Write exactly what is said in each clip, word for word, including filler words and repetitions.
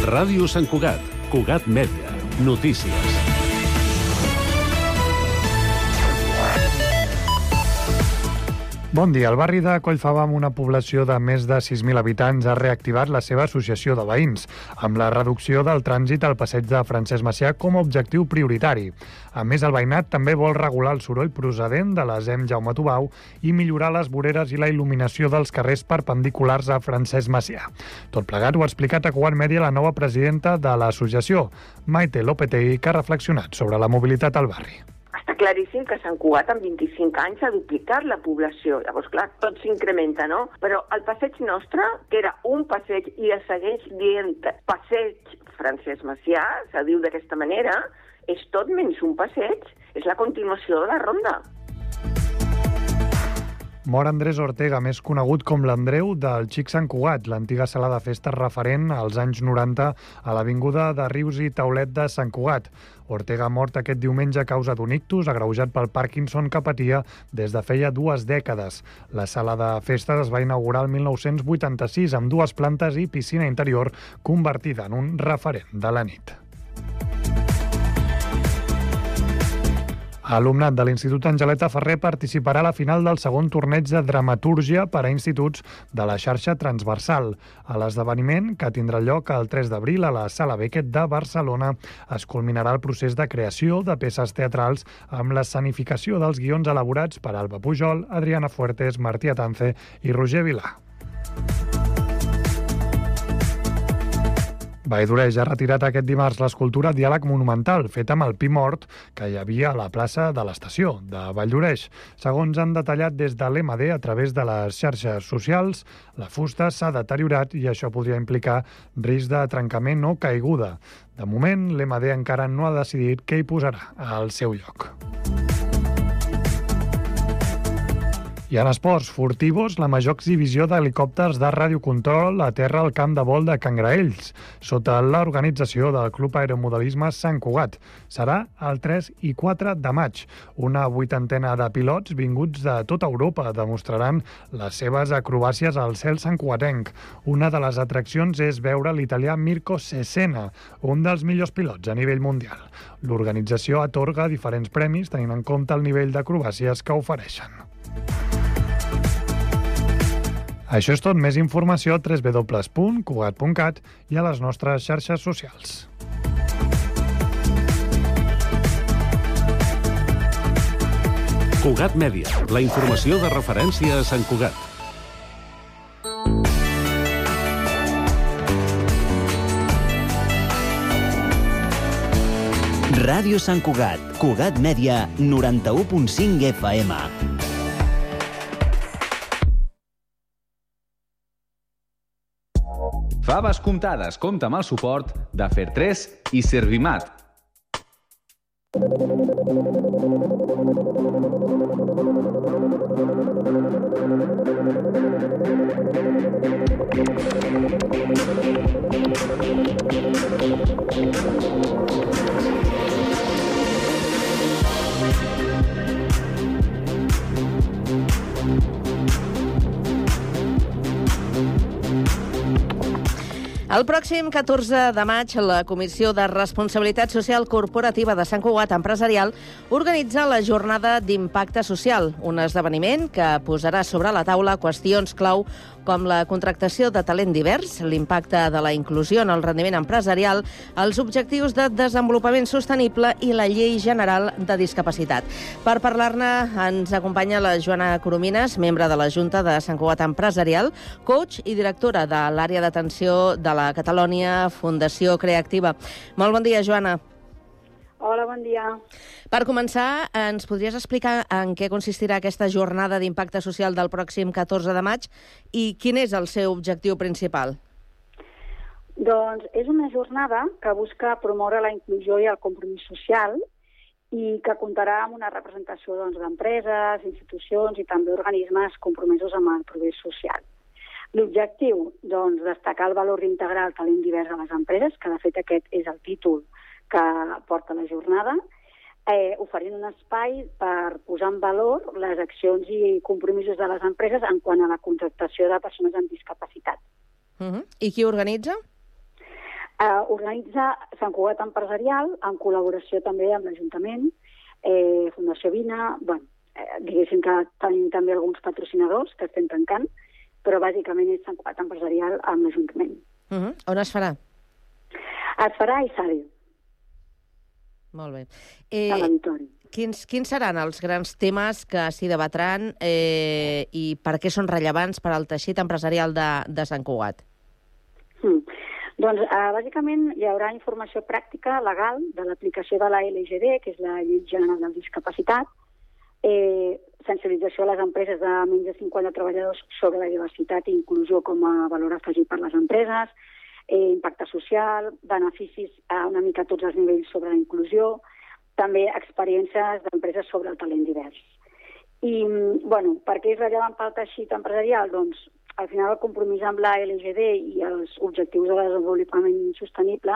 Ràdio Sant Cugat, Cugat Mèdia, notícies. Bon dia. El barri de Collfava, amb una població de més de sis mil habitants, ha reactivat la seva associació de veïns, amb la reducció del trànsit al passeig de Francesc Macià com a objectiu prioritari. A més, el veïnat també vol regular el soroll procedent de la Z E M Jaume Tubau i millorar les voreres i la il·luminació dels carrers perpendiculars a Francesc Macià. Tot plegat ho ha explicat a Cugat Mèdia la nova presidenta de l'associació, Maite Lopetegui, que ha reflexionat sobre la mobilitat al barri. Està claríssim que Sant Cugat en vint-i-cinc anys ha duplicat la població. Llavors, clar, tot s'incrementa, no? Però el passeig nostre, que era un passeig i es segueix dient passeig Francesc Macià, se diu d'aquesta manera, és tot menys un passeig, és la continuació de la ronda. Mor Andrés Ortega, més conegut com l'Andreu del Xic Sant Cugat, l'antiga sala de festes referent als anys noranta a l'avinguda de Rius i Taulet de Sant Cugat. Ortega ha mort aquest diumenge a causa d'un ictus agreujat pel Parkinson que patia des de feia dues dècades. La sala de festes es va inaugurar el mil nou-cents vuitanta-sis amb dues plantes i piscina interior, convertida en un referent de la nit. Alumnat de l'Institut Angeleta Ferrer participarà a la final del segon torneig de dramatúrgia per a instituts de la xarxa transversal. A l'esdeveniment, que tindrà lloc el tres d'abril a la Sala Beckett de Barcelona, es culminarà el procés de creació de peces teatrals amb l'escenificació dels guions elaborats per Alba Pujol, Adriana Fuertes, Martí Atance i Roger Vilà. Valldoreix ha retirat aquest dimarts l'escultura Diàleg Monumental, feta amb el pi mort que hi havia a la plaça de l'estació de Valldoreix. Segons han detallat des de l'E M D a través de les xarxes socials, la fusta s'ha deteriorat i això podria implicar risc de trencament o caiguda. De moment, l'E M D encara no ha decidit què hi posarà al seu lloc. I en esports furtivos, la major exhibició d'helicòpters de radiocontrol aterra al camp de vol de Can Graells, sota l'organització del Club Aeromodelisme Sant Cugat. Serà el tres i quatre de maig. Una vuitantena de pilots vinguts de tota Europa demostraran les seves acrobàcies al cel santcugatenc. Una de les atraccions és veure l'italià Mirko Cesena, un dels millors pilots a nivell mundial. L'organització atorga diferents premis tenint en compte el nivell d'acrobàcies que ofereixen. Això és tot. Més informació a w w w punt cugat punt cat i a les nostres xarxes socials. Cugat Mèdia, la informació de referència a Sant Cugat. Ràdio Sant Cugat, Cugat Mèdia, noranta-u punt cinc F M. Faves comptades compta amb el suport de Fertres i Servimat. El pròxim catorze de maig, la Comissió de Responsabilitat Social Corporativa de Sant Cugat Empresarial organitza la Jornada d'Impacte Social, un esdeveniment que posarà sobre la taula qüestions clau com la contractació de talent divers, l'impacte de la inclusió en el rendiment empresarial, els objectius de desenvolupament sostenible i la Llei General de Discapacitat. Per parlar-ne ens acompanya la Joana Coromines, membre de la Junta de Sant Cugat Empresarial, coach i directora de l'àrea d'atenció de la Catalònia Fundació Creactiva. Molt bon dia, Joana. Hola, bon dia. Per començar, ens podries explicar en què consistirà aquesta jornada d'impacte social del pròxim catorze de maig i quin és el seu objectiu principal? Doncs és una jornada que busca promoure la inclusió i el compromís social i que comptarà amb una representació doncs, d'empreses, institucions i també organismes compromesos amb el progrés social. L'objectiu, doncs, destacar el valor integral talent divers a les empreses, que de fet aquest és el títol que porta la jornada, eh, oferint un espai per posar en valor les accions i compromisos de les empreses en quant a la contractació de persones amb discapacitat. Uh-huh. I qui organitza? Uh, organitza Sant Cugat Empresarial, en col·laboració també amb l'Ajuntament, eh, Fundació Vina, bueno, eh, diguéssim que tenim també alguns patrocinadors que estem tancant, però bàsicament és Sant Cugat Empresarial amb l'Ajuntament. Uh-huh. On es farà? Es farà a Isari. Molt bé. Eh, a l'auditori. Quins, quins seran els grans temes que s'hi debatran eh, i per què són rellevants per al teixit empresarial de, de Sant Cugat? Mm. Doncs, eh, bàsicament, hi haurà informació pràctica legal de l'aplicació de la L G D, que és la Llei General de Discapacitat, eh, sensibilització a les empreses de menys de cinquanta treballadors sobre la diversitat i inclusió com a valor afegit per les empreses, eh, impacte social, beneficis a una mica a tots els nivells sobre la inclusió, també experiències d'empreses sobre el talent divers. I, bueno, per què és rellevant pel teixit empresarial? Doncs, al final, el compromís amb la L G D i els objectius de desenvolupament sostenible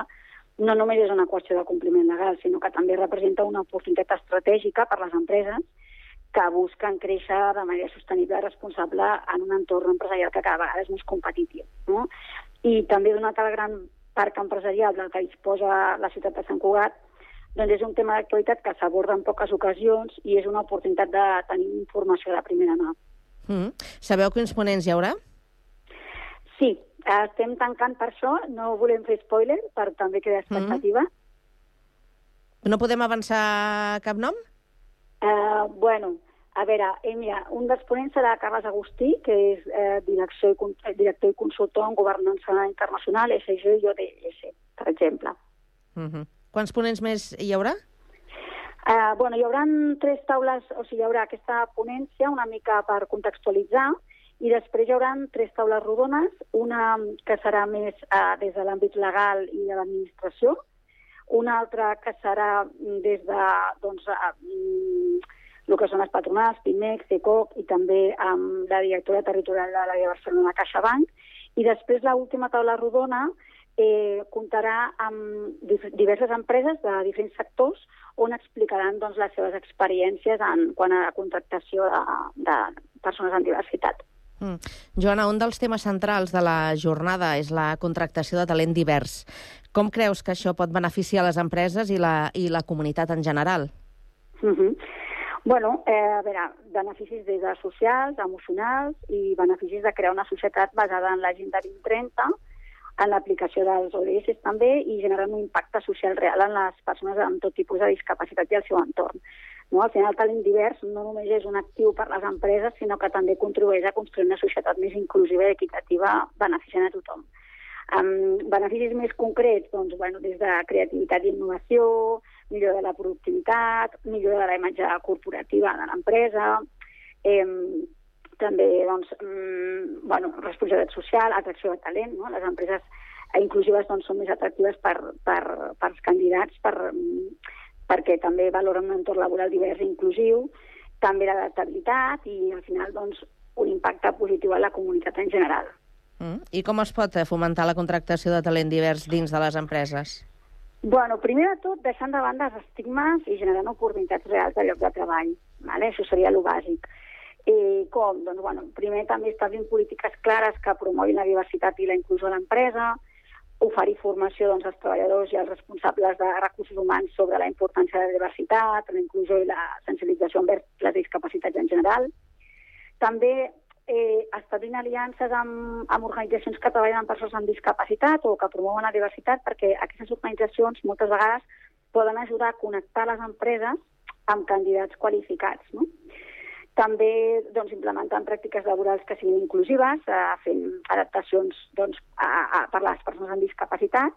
no només és una qüestió de compliment legal, sinó que també representa una oportunitat estratègica per les empreses que busquen créixer de manera sostenible i responsable en un entorn empresarial que cada vegada és més competitiu. No? I també, donat el gran parc empresarial del que disposa la ciutat de Sant Cugat, doncs és un tema d'actualitat que s'aborda en poques ocasions i és una oportunitat de tenir informació de primera mà. Mm. Sabeu quins ponents hi haurà? Sí, estem tancant per això, no volem fer spoiler, per també crear expectativa. Mm. No podem avançar cap nom? Uh, bueno, a veure, eh, mira, un dels ponents serà Carles Agustí, que és eh, director, i, director i consultor en governança internacional, S G i O D S, per exemple. Mm-hmm. Quants ponents més hi haurà? Uh, bueno, hi haurà tres taules, o sigui, hi haurà aquesta ponència una mica per contextualitzar, i després hi haurà tres taules rodones, una que serà més uh, des de l'àmbit legal i de l'administració, una altra que serà des de doncs, uh, el que són les patronals, Pimex, CECOC, i també amb la directora territorial de l'àrea de Barcelona, CaixaBank, i després l'última taula rodona eh, comptarà amb diverses empreses de diferents sectors on explicaran doncs, les seves experiències en quant a la contractació de, de persones amb diversitat. Mm. Joana, un dels temes centrals de la jornada és la contractació de talent divers. Com creus que això pot beneficiar les empreses i la, i la comunitat en general? Mm-hmm. Bueno, eh, a veure, beneficis des de socials, emocionals i beneficis de crear una societat basada en l'Agenda vint trenta, en l'aplicació dels O D S també i generant un impacte social real en les persones amb tot tipus de discapacitat i el seu entorn. No? Al final, el talent divers no només és un actiu per les empreses, sinó que també contribueix a construir una societat més inclusiva i equitativa beneficiant a tothom. Um, beneficis més concrets, doncs, bueno, des de creativitat i innovació, millora de la productivitat, millora de la imatge corporativa de l'empresa, eh, també doncs, mm, bueno, responsabilitat social, atracció de talent. No? Les empreses inclusives doncs, són més atractives per, per, per als candidats per, perquè també valoren un entorn laboral divers i inclusiu, també l'adaptabilitat i al final doncs, un impacte positiu a la comunitat en general. Mm. I com es pot fomentar la contractació de talent divers dins de les empreses? Bueno, primer de tot, deixant de banda els estigmes i generant oportunitats reals de lloc de treball. Vale? Això seria el bàsic. Eh, com? Doncs, bueno, primer també establint polítiques clares que promoguin la diversitat i la inclusió a l'empresa, oferir formació doncs, als treballadors i als responsables de recursos humans sobre la importància de la diversitat, la inclusió i la sensibilització envers les discapacitats en general. També eh, establint aliances amb, amb organitzacions que treballen amb persones amb discapacitat o que promouen la diversitat, perquè aquestes organitzacions moltes vegades poden ajudar a connectar les empreses amb candidats qualificats. No? També doncs, implementant pràctiques laborals que siguin inclusives, eh, fent adaptacions doncs, a, a, per a les persones amb discapacitat,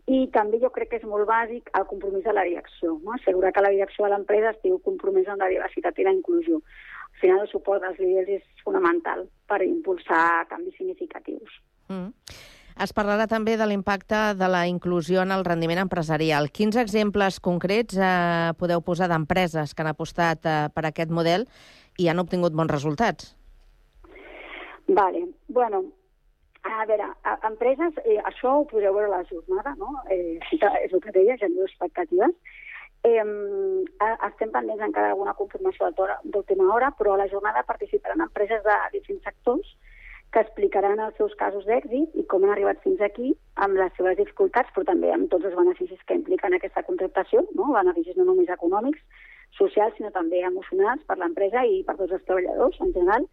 i també jo crec que és molt bàsic el compromís de la direcció, no? Assegurar que la direcció de l'empresa estigui compromesa amb la diversitat i la inclusió. Al final, el suport dels líders és fonamental per impulsar canvis significatius. Mm. Es parlarà també de l'impacte de la inclusió en el rendiment empresarial. Quins exemples concrets eh, podeu posar d'empreses que han apostat eh, per aquest model i han obtingut bons resultats? Vale. Bueno, a veure, a, empreses, eh, això ho podreu veure a la jornada, no? Eh, és el que deia, genero expectatives. Eh, estem pendents encara d'alguna confirmació d'última hora, però a la jornada participaran empreses de diferents sectors que explicaran els seus casos d'èxit i com han arribat fins aquí amb les seves dificultats, però també amb tots els beneficis que impliquen aquesta contractació, no? Beneficis no només econòmics, socials, sinó també emocionals per l'empresa i per tots els treballadors en general.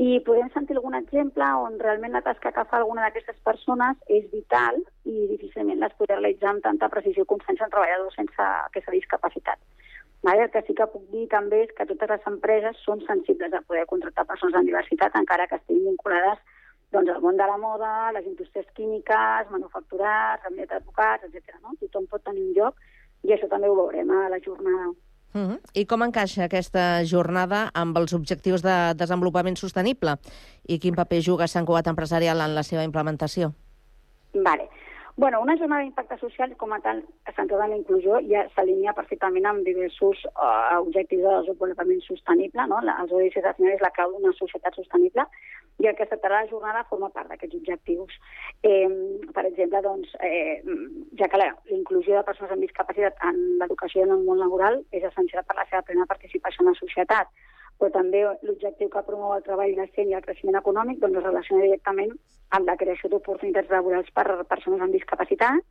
I podem sentir algun exemple on realment la tasca que fa alguna d'aquestes persones és vital i difícilment les podrà realitzar amb tanta precisió com sense un treballador sense aquesta discapacitat. Vale? El que sí que puc dir també és que totes les empreses són sensibles a poder contractar persones amb diversitat, encara que estiguin vinculades doncs, al món de la moda, les indústries químiques, manufacturats, gabinet d'advocats, etcètera. No? Tothom pot tenir un lloc i això també ho veurem a la jornada. Uh-huh. I com encaixa aquesta jornada amb els objectius de desenvolupament sostenible? I quin paper juga Sant Cugat Empresarial en la seva implementació? Vale. Bueno, una jornada d'impacte social com a tal, centrada en la inclusió, ja s'alinea perfectament amb diversos uh, objectius de desenvolupament sostenible. No? Els O D S al final és la clau d'una societat sostenible i el que es tractarà la jornada forma part d'aquests objectius. Eh, per exemple, doncs, eh, ja que la inclusió de persones amb discapacitat en l'educació i en el món laboral és essencial per la seva plena participació en la societat, però també l'objectiu que promou el treball decent i el creixement econòmic doncs, es relaciona directament amb la creació d'oportunitats laborals per a persones amb discapacitat,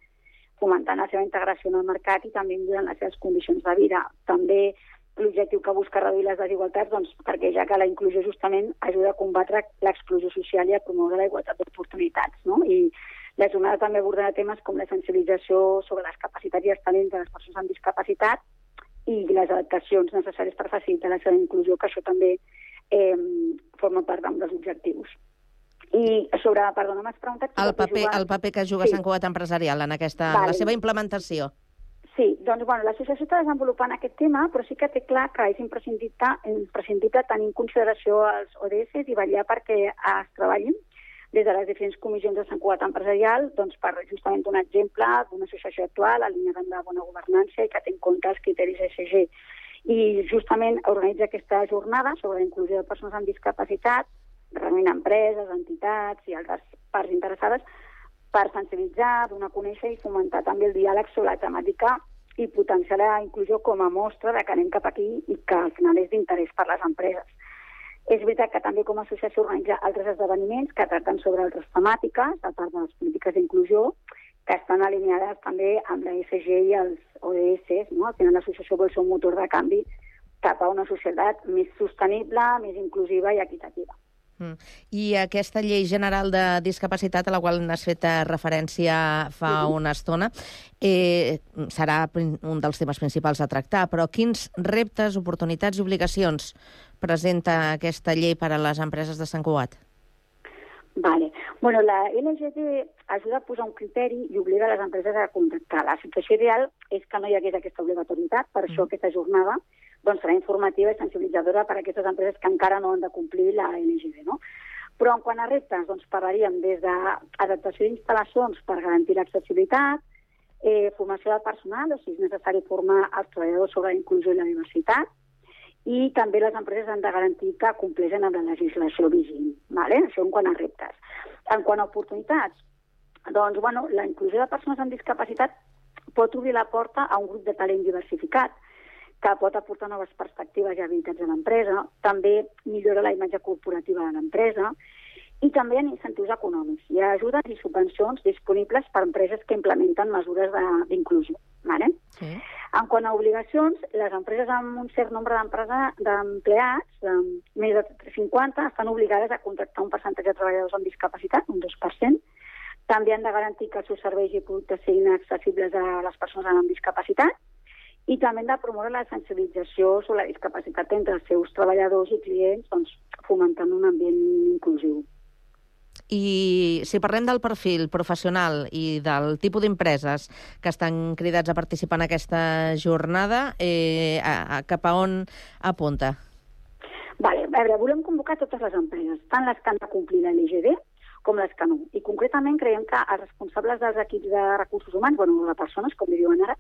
fomentant la seva integració en el mercat i també millorant les seves condicions de vida. També l'objectiu que busca reduir les desigualtats, doncs, perquè ja que la inclusió justament ajuda a combatre l'exclusió social i a promoure la igualtat d'oportunitats. No? I la jornada també abordarà temes com la sensibilització sobre les capacitats i els talents de les persones amb discapacitat i les adaptacions necessàries per facilitar la seva inclusió, que això també eh, forma part dels objectius. I sobre, perdona, m'has preguntat... El paper, el paper que juga sí. Sant Cugat Empresarial en aquesta, vale. La seva implementació. Sí, doncs bueno, l'associació està desenvolupant aquest tema, però sí que té clar que és imprescindible, imprescindible tenir en consideració els O D S i vetllar perquè es treballin des de les diferents comissions de Sant Cugat Empresarial, doncs per justament un exemple d'una associació actual, alineada amb la bona governança i que té en compte els criteris E S G. I justament organitza aquesta jornada sobre la inclusió de persones amb discapacitat, reunint empreses, entitats i altres parts interessades per sensibilitzar, donar a conèixer i fomentar també el diàleg sobre la temàtica i potenciar la inclusió com a mostra de que anem cap aquí i que al final és d'interès per les empreses. És veritat que també com a associació organitza altres esdeveniments que tracten sobre altres temàtiques, a part de les polítiques d'inclusió, que estan alineades també amb la E S G i els O D S. No? Al final l'associació vol ser un motor de canvi cap a una societat més sostenible, més inclusiva i equitativa. Mm. I aquesta llei general de discapacitat a la qual n'has fet referència fa mm-hmm. una estona eh, serà un dels temes principals a tractar, però quins reptes, oportunitats i obligacions presenta aquesta llei per a les empreses de Sant Cugat? Vale. Bueno, la L G D ajuda a posar un criteri i obliga les empreses a contractar. La situació ideal és que no hi hagués aquesta obligatorietat, per mm. això aquesta jornada doncs, serà informativa i sensibilitzadora per a aquestes empreses que encara no han de complir la L G D. No? Però en quant a reptes, doncs, parlaríem des d'adaptació d'instal·lacions per garantir l'accessibilitat, eh, formació del personal, o sigui, és necessari formar els treballadors sobre la inclusió i la diversitat, i també les empreses han de garantir que compleixen amb la legislació vigent. Vale? Això en quant a reptes. En quant a oportunitats, doncs, bueno, la inclusió de persones amb discapacitat pot obrir la porta a un grup de talent diversificat que pot aportar noves perspectives i habilitats a l'empresa, també millora la imatge corporativa de l'empresa i també hi ha incentius econòmics. Hi ha ajudes i subvencions disponibles per a empreses que implementen mesures d'inclusió. Vale? Sí. En quant a obligacions, les empreses amb un cert nombre d'empleats, de més de cinquanta, estan obligades a contractar un percentatge de treballadors amb discapacitat, un dos per cent. També han de garantir que els seus serveis i productes siguin accessibles a les persones amb discapacitat i també han de promoure la sensibilització sobre la discapacitat entre els seus treballadors i clients, doncs, fomentant un ambient inclusiu. I si parlem del perfil professional i del tipus d'empreses que estan cridats a participar en aquesta jornada, eh, a, a cap a on apunta? Vale, a veure, volem convocar totes les empreses, tant les que han de complir la L G D com les que no. I concretament creiem que els responsables dels equips de recursos humans, bueno, de persones, com li diuen ara,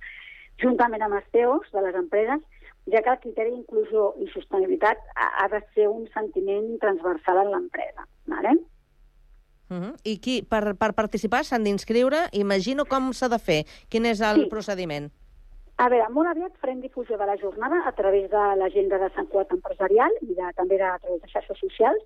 juntament amb els C E Os de les empreses, ja que el criteri d'inclusió i sostenibilitat ha de ser un sentiment transversal en l'empresa. Vale? Uh-huh. I qui, per, per participar s'han d'inscriure? Imagino com s'ha de fer. Quin és el sí. procediment? A veure, molt aviat farem difusió de la jornada a través de l'agenda de Sant Cugat Empresarial i de, també de, a través de xarxes socials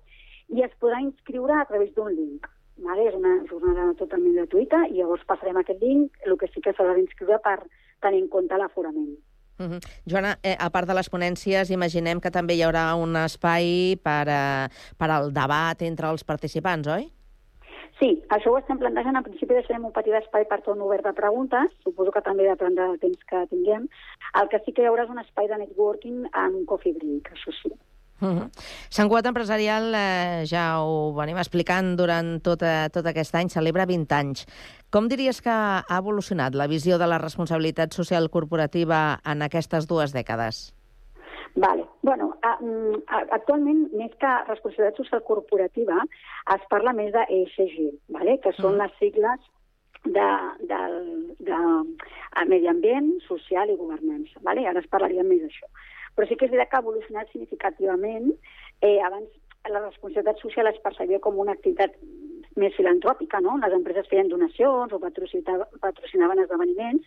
i es podrà inscriure a través d'un link. Vale? És una jornada totalment gratuïta i llavors passarem aquest link, el que sí que s'haurà d'inscriure per tenir en compte l'aforament. Uh -huh. Joana, eh, a part de les ponències, imaginem que també hi haurà un espai per, eh, per al debat entre els participants, oi? Sí, això ho estem plantejant. En principi deixarem un petit espai per torn obert de preguntes. Suposo que també depèn del temps que tinguem. El que sí que hi haurà és un espai de networking en un coffee break, això sí. Uh -huh. Sant Cugat Empresarial, eh, ja ho venim explicant durant tot, eh, tot aquest any, celebra vint anys. Com diries que ha evolucionat la visió de la responsabilitat social corporativa en aquestes dues dècades? Vale. Bueno, a, a, actualment, més que responsabilitat social corporativa, es parla més de E S G, vale? Que són mm. les sigles de, de, de, de medi ambient, social i governança. Vale? Ara es parlaria més d'això. Però sí que és veritat que ha evolucionat significativament. Eh, abans la responsabilitat social es percebia com una activitat més filantròpica, no? Les empreses feien donacions o patrocinaven esdeveniments.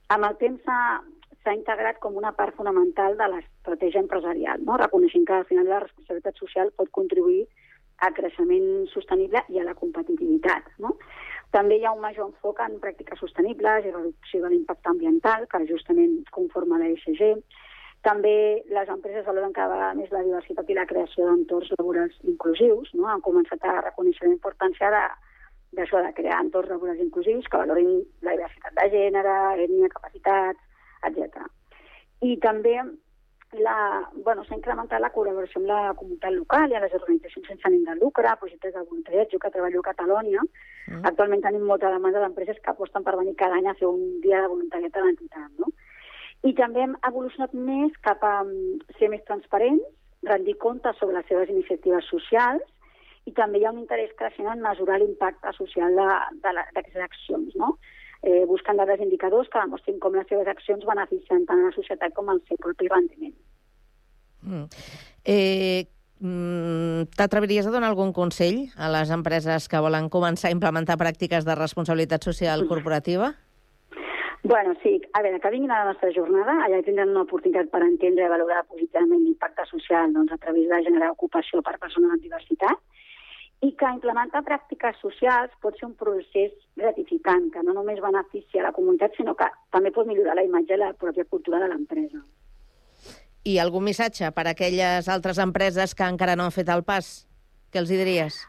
Amb el temps s'ha s'ha integrat com una part fonamental de l'estratègia empresarial, no? Reconeixent que al final la responsabilitat social pot contribuir al creixement sostenible i a la competitivitat, no? També hi ha un major enfoc en pràctiques sostenibles i reducció de l'impacte ambiental, que justament conforma l'E S G. També les empreses valoren cada vegada més la diversitat i la creació d'entorns laborals inclusius, no? Han començat a reconèixer la importància de, d'això, de crear entorns laborals inclusius que valorin la diversitat de gènere, ètnia, capacitats, etcètera. I també la, bueno, s'ha incrementat la col·laboració amb la comunitat local i a les organitzacions sense ànim de lucre, projectes de voluntariat. Jo que treballo a Catalunya, mm. actualment tenim molta demanda d'empreses que aposten per venir cada any a fer un dia de voluntariat a l'entitat, no? I també hem evolucionat més cap a ser més transparents, rendir comptes sobre les seves iniciatives socials i també hi ha un interès creixent en mesurar l'impacte social d'aquestes accions, no? Eh, buscant dades indicadors que demostrin com les seves accions beneficien tant a la societat com al seu propi rendiment. Mm. Eh, mm, T'atreviries a donar algun consell a les empreses que volen començar a implementar pràctiques de responsabilitat social corporativa? Bueno, sí. A veure, que vinguin a la nostra jornada, allà tindran una oportunitat per entendre i valorar positivament l'impacte social, doncs, a través de generar ocupació per persones amb diversitat, i que implementar pràctiques socials pot ser un procés gratificant, que no només beneficia a la comunitat, sinó que també pot millorar la imatge i la pròpia cultura de l'empresa. I algun missatge per a aquelles altres empreses que encara no han fet el pas? Què els hi diries?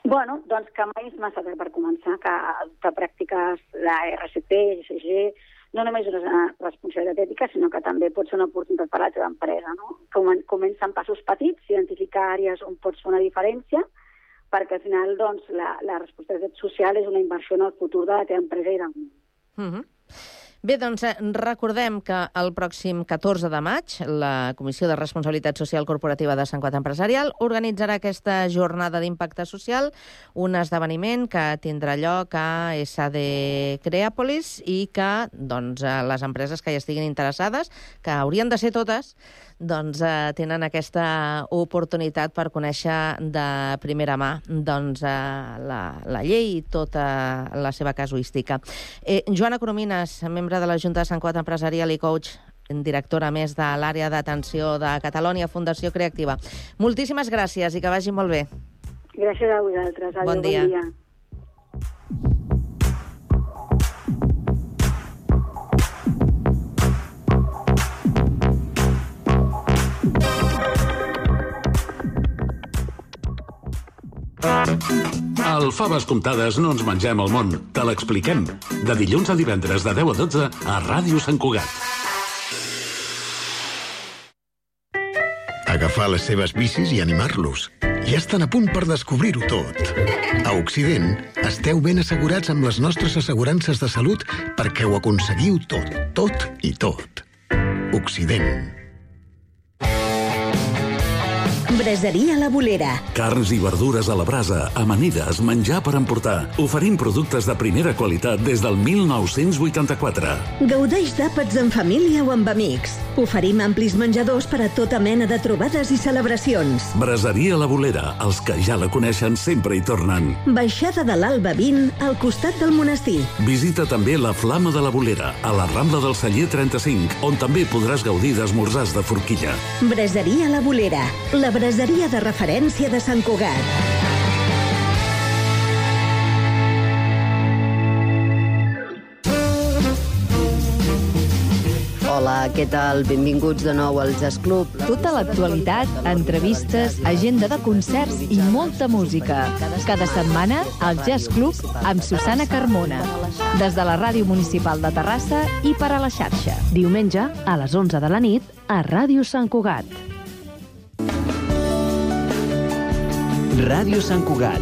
Bueno, doncs que mai és massa tard per començar, que adoptar pràctiques, la R C P, E S G, no només és una responsabilitat ètica, sinó que també pot ser una oportunitat per a la teva empresa, no? Comença amb passos petits, identificar àrees on pots fer una diferència, perquè al final doncs, la, la responsabilitat social és una inversió en el futur de la teva empresa i del món. Uh-huh. Bé, doncs recordem que el pròxim catorze de maig la Comissió de Responsabilitat Social Corporativa de Sant Cugat Empresarial organitzarà aquesta jornada d'impacte social, un esdeveniment que tindrà lloc a S D Creàpolis i que doncs, les empreses que hi estiguin interessades, que haurien de ser totes, doncs, eh, tenen aquesta oportunitat per conèixer de primera mà doncs, eh, la, la llei i tota la seva casuística. Eh, Joana Coromines, membre de la Junta de Sant Cugat Empresarial i coach, directora més de l'àrea d'atenció de Catalonia Fundació Creativa. Moltíssimes gràcies i que vagi molt bé. Gràcies a vosaltres. Adéu, bon dia. Bon dia. Al Faves Comptades no ens mengem el món, te l'expliquem. De dilluns a divendres de deu a dotze a Ràdio Sant Cugat. Agafar les seves bicis i animar-los. Ja estan a punt per descobrir-ho tot. A Occident, esteu ben assegurats amb les nostres assegurances de salut perquè ho aconseguiu tot, tot i tot. Occident. Braseria La Bolera. Carns i verdures a la brasa, amanides, menjar per emportar. Oferim productes de primera qualitat des del mil nou-cents vuitanta-quatre. Gaudeix d'àpats en família o amb amics. Oferim amplis menjadors per a tota mena de trobades i celebracions. Braseria La Bolera. Els que ja la coneixen sempre hi tornen. Baixada de l'Alba vint, al costat del monestir. Visita també la Flama de la Bolera, a la Rambla del Celler trenta-cinc, on també podràs gaudir d'esmorzars de forquilla. Braseria La Bolera. La braseria braseria de referència de Sant Cugat. Hola, què tal? Benvinguts de nou al Jazz Club. Tota l'actualitat, entrevistes, agenda de concerts i molta música. Cada setmana, al Jazz Club amb Susana Carmona. Des de la Ràdio Municipal de Terrassa i per a la xarxa. Diumenge, a les onze de la nit, a Ràdio Sant Cugat. Ràdio Sant Cugat.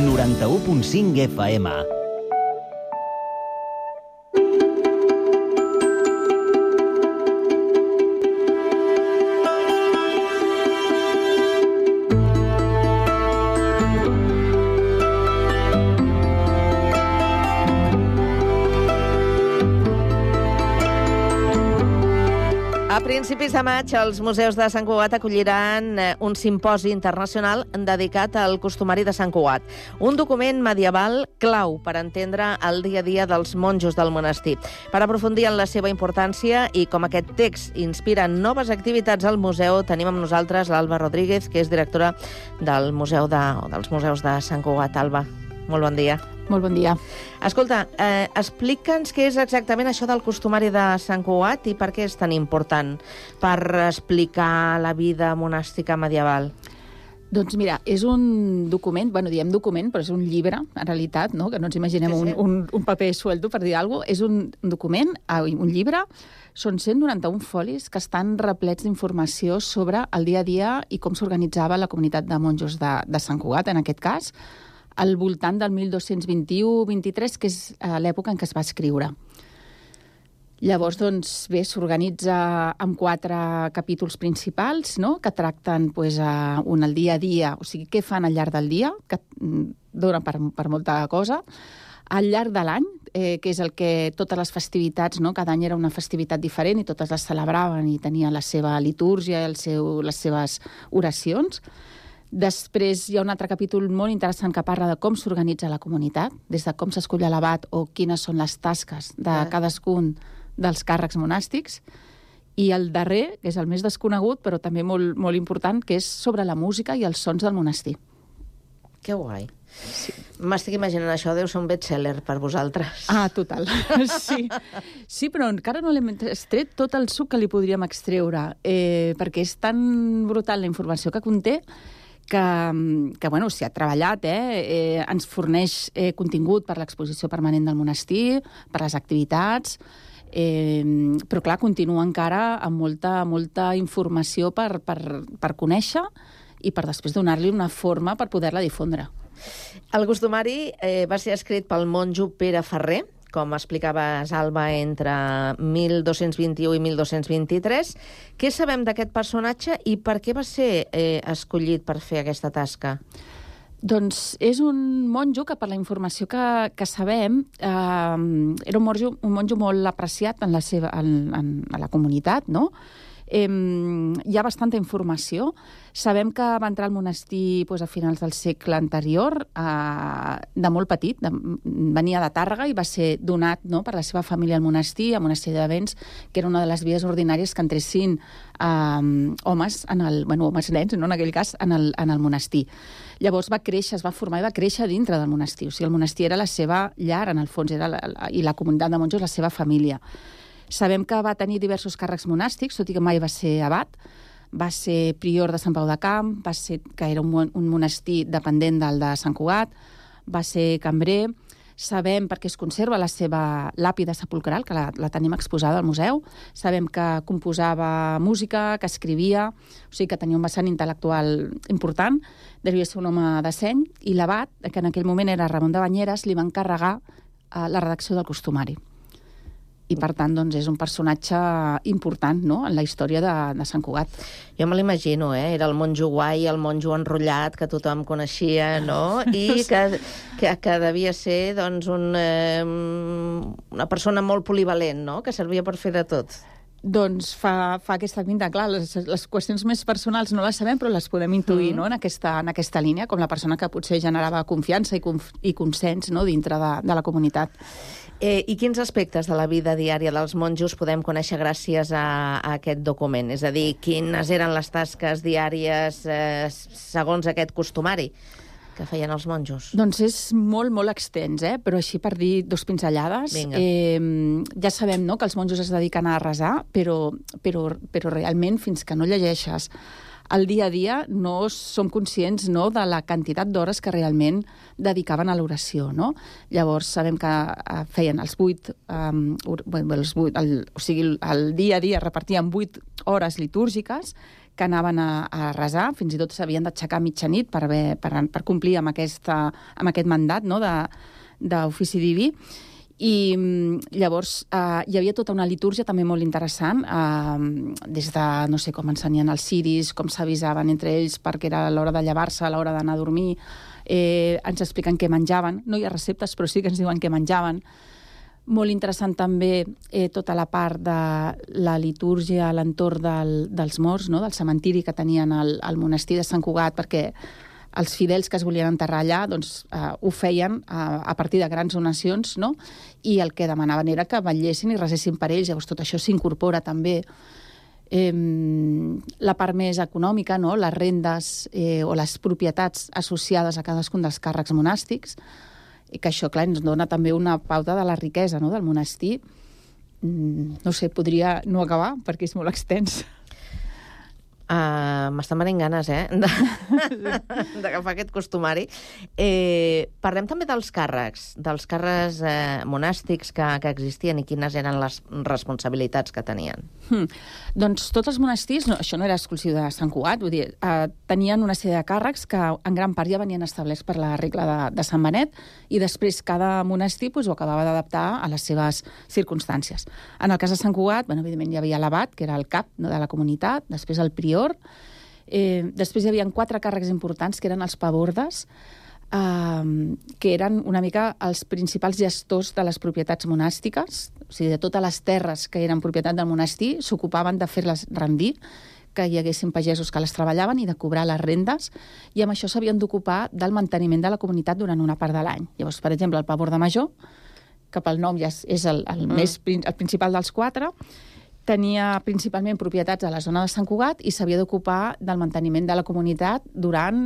noranta-u punt cinc F M. A principis de maig, els museus de Sant Cugat acolliran un simposi internacional dedicat al costumari de Sant Cugat, un document medieval clau per entendre el dia a dia dels monjos del monestir. Per aprofundir en la seva importància i com aquest text inspira noves activitats al museu, tenim amb nosaltres l'Alba Rodríguez, que és directora del museu de, dels museus de Sant Cugat. Alba, molt bon dia. Molt bon dia. Escolta, eh, explica'ns què és exactament això del costumari de Sant Cugat i per què és tan important per explicar la vida monàstica medieval. Doncs mira, és un document, bueno, diem document, però és un llibre, en realitat, no? Que no ens imaginem sí, sí. Un, un, un paper suelto, per dir alguna cosa. És un document, un llibre, són cent noranta-un folis que estan replets d'informació sobre el dia a dia i com s'organitzava la comunitat de monjos de, de Sant Cugat, en aquest cas, al voltant del mil dos-cents vint-i-u vint-i-tres, que és l'època en què es va escriure. Llavors, doncs, bé, s'organitza amb quatre capítols principals, no?, que tracten pues, un al dia a dia, o sigui, què fan al llarg del dia, que dona per, per molta cosa, al llarg de l'any, eh, que és el que totes les festivitats, no?, cada any era una festivitat diferent i totes les celebraven i tenien la seva litúrgia, el seu, les seves oracions. Després hi ha un altre capítol molt interessant que parla de com s'organitza la comunitat, des de com s'escull l'abat o quines són les tasques de cadascun dels càrrecs monàstics. I el darrer, que és el més desconegut, però també molt, molt important, que és sobre la música i els sons del monestir. Que guai. Sí. M'estic imaginant això, deu ser un best-seller per vosaltres. Ah, total. Sí, sí, però encara no l'hem extret tot el suc que li podríem extreure, eh, perquè és tan brutal la informació que conté que, que bueno, s'hi ha treballat, eh? Eh, ens forneix eh, contingut per l'exposició permanent del monestir, per les activitats, eh, però clar, continua encara amb molta, molta informació per, per, per conèixer i per després donar-li una forma per poder-la difondre. El costumari eh, va ser escrit pel monjo Pere Ferrer, com explicaves, Alba, entre mil dos-cents vint-i-u i mil dos-cents vint-i-tres. Què sabem d'aquest personatge i per què va ser eh, escollit per fer aquesta tasca? Doncs és un monjo que, per la informació que, que sabem, eh, era un monjo, un monjo molt apreciat en la, seva, en, en, en la comunitat, no? Eh, hi ha bastanta informació. Sabem que va entrar al monestir pues, a finals del segle anterior, eh, de molt petit, de, venia de Tàrrega i va ser donat, no, per la seva família al monestir, a monestir de Béns, que era una de les vies ordinàries que entressin eh, homes, en el, bueno, homes nens, no, en aquell cas, en el, en el monestir. Llavors va créixer, es va formar i va créixer dintre del monestir. O sigui, el monestir era la seva llar, en el fons, era la, la, i la comunitat de monjos la seva família. Sabem que va tenir diversos càrrecs monàstics, tot i que mai va ser abat. Va ser prior de Sant Pau de Camp, va ser, que era un, un monestir dependent del de Sant Cugat, va ser cambrer. Sabem, perquè es conserva la seva làpida sepulcral, que la, la tenim exposada al museu. Sabem que composava música, que escrivia, o sigui que tenia un vessant intel·lectual important, devia ser un home de seny, i l'abat, que en aquell moment era Ramon de Banyeres, li va encarregar eh, la redacció del costumari. I, per tant, doncs, és un personatge important, no?, en la història de, de Sant Cugat. Jo me l'imagino, eh? Era el monjo guai, el monjo enrotllat, que tothom coneixia, no? I que, que, que devia ser, doncs, un, eh, una persona molt polivalent, no?, que servia per fer de tot. Doncs fa, fa aquesta pinta, clar, les, les qüestions més personals no les sabem, però les podem intuir, mm. no?, en aquesta, en aquesta línia, com la persona que potser generava confiança i, conf, i consens, no?, dintre de, de la comunitat. Eh, I quins aspectes de la vida diària dels monjos podem conèixer gràcies a, a aquest document? És a dir, quines eren les tasques diàries eh, segons aquest costumari que feien els monjos? Doncs és molt, molt extens, eh? Però així per dir dos pinzellades. Eh, ja sabem, no?, que els monjos es dediquen a resar, però, però, però realment, fins que no llegeixes el dia a dia, no som conscients, no?, de la quantitat d'hores que realment dedicaven a l'oració, no? Llavors, sabem que uh, feien els vuit, um, bueno, els vuit el, o sigui, el dia a dia repartien vuit hores litúrgiques que anaven a, a resar, fins i tot s'havien d'aixecar a mitjanit per, haver, per, per complir amb, aquesta, amb aquest mandat, no?, d'ofici diví. I llavors eh, hi havia tota una litúrgia també molt interessant, eh, des de, no sé, com ensenyen els ciris, com s'avisaven entre ells perquè era l'hora de llevar-se, a l'hora d'anar a dormir, eh, ens expliquen què menjaven, no hi ha receptes però sí que ens diuen què menjaven. Molt interessant també eh, tota la part de la litúrgia a l'entorn del, dels morts, no?, del cementiri que tenien al, al monestir de Sant Cugat, perquè els fidels que es volien enterrar allà doncs, eh, ho feien a, a partir de grans donacions, no?, i el que demanaven era que vetllessin i resessin per ells. Llavors tot això s'incorpora també. Eh, la part més econòmica, no?, les rendes eh, o les propietats associades a cadascun dels càrrecs monàstics, i que això, clar, ens dona també una pauta de la riquesa, no?, del monestir. Mm, no sé, podria no acabar perquè és molt extens. Uh, M'estan venint ganes, eh?, d'agafar aquest costumari. Eh, parlem també dels càrrecs, dels càrrecs eh, monàstics que, que existien i quines eren les responsabilitats que tenien. Hmm. Doncs tots els monestirs, no, això no era exclusiu de Sant Cugat, vull dir, eh, tenien una sèrie de càrrecs que en gran part ja venien establerts per la regla de, de Sant Benet i després cada monestir pues, ho acabava d'adaptar a les seves circumstàncies. En el cas de Sant Cugat, bueno, evidentment hi havia l'abat, que era el cap, no?, de la comunitat, després el prior. Eh, després hi havia quatre càrrecs importants, que eren els pabordes, eh, que eren una mica els principals gestors de les propietats monàstiques, o sigui, de totes les terres que eren propietat del monestir, s'ocupaven de fer-les rendir, que hi haguessin pagesos que les treballaven i de cobrar les rendes, i amb això s'havien d'ocupar del manteniment de la comunitat durant una part de l'any. Llavors, per exemple, el paborde major, que pel nom ja és, és el, el, mm. més, el principal dels quatre, tenia principalment propietats a la zona de Sant Cugat i s'havia d'ocupar del manteniment de la comunitat durant,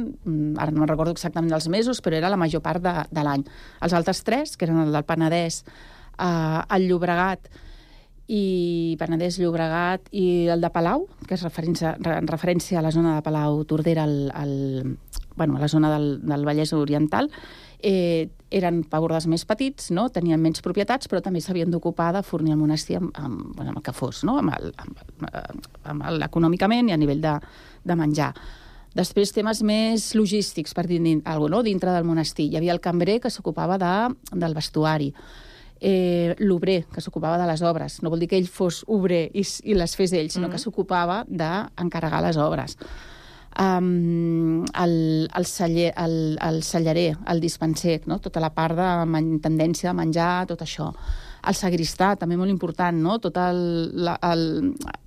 ara no recordo exactament els mesos, però era la major part de, de l'any. Els altres tres, que eren el del Penedès, eh, el Llobregat i Penedès, Llobregat i el de Palau, que és referència, en referència a la zona de Palau-Tordera, al, al, bueno, a la zona del, del Vallès Oriental, eh, eren pabordes més petits, no?, tenien menys propietats, però també s'havien d'ocupar de fornir el monestir amb, amb, bueno, amb el que fos, no?, amb el, amb, amb el, econòmicament i a nivell de, de menjar. Després, temes més logístics, per dir alguna cosa, no?, dintre del monestir. Hi havia el cambrer, que s'ocupava de, del vestuari, eh, l'obrer, que s'ocupava de les obres. No vol dir que ell fos obrer i, i les fes ell, sinó mm-hmm. que s'ocupava d'encarregar les obres. Um, el, el, celler, el, el cellarer, el dispenser, no?, tota la part de man, tendència de menjar, tot això. El sagristà, també molt important, no?, tota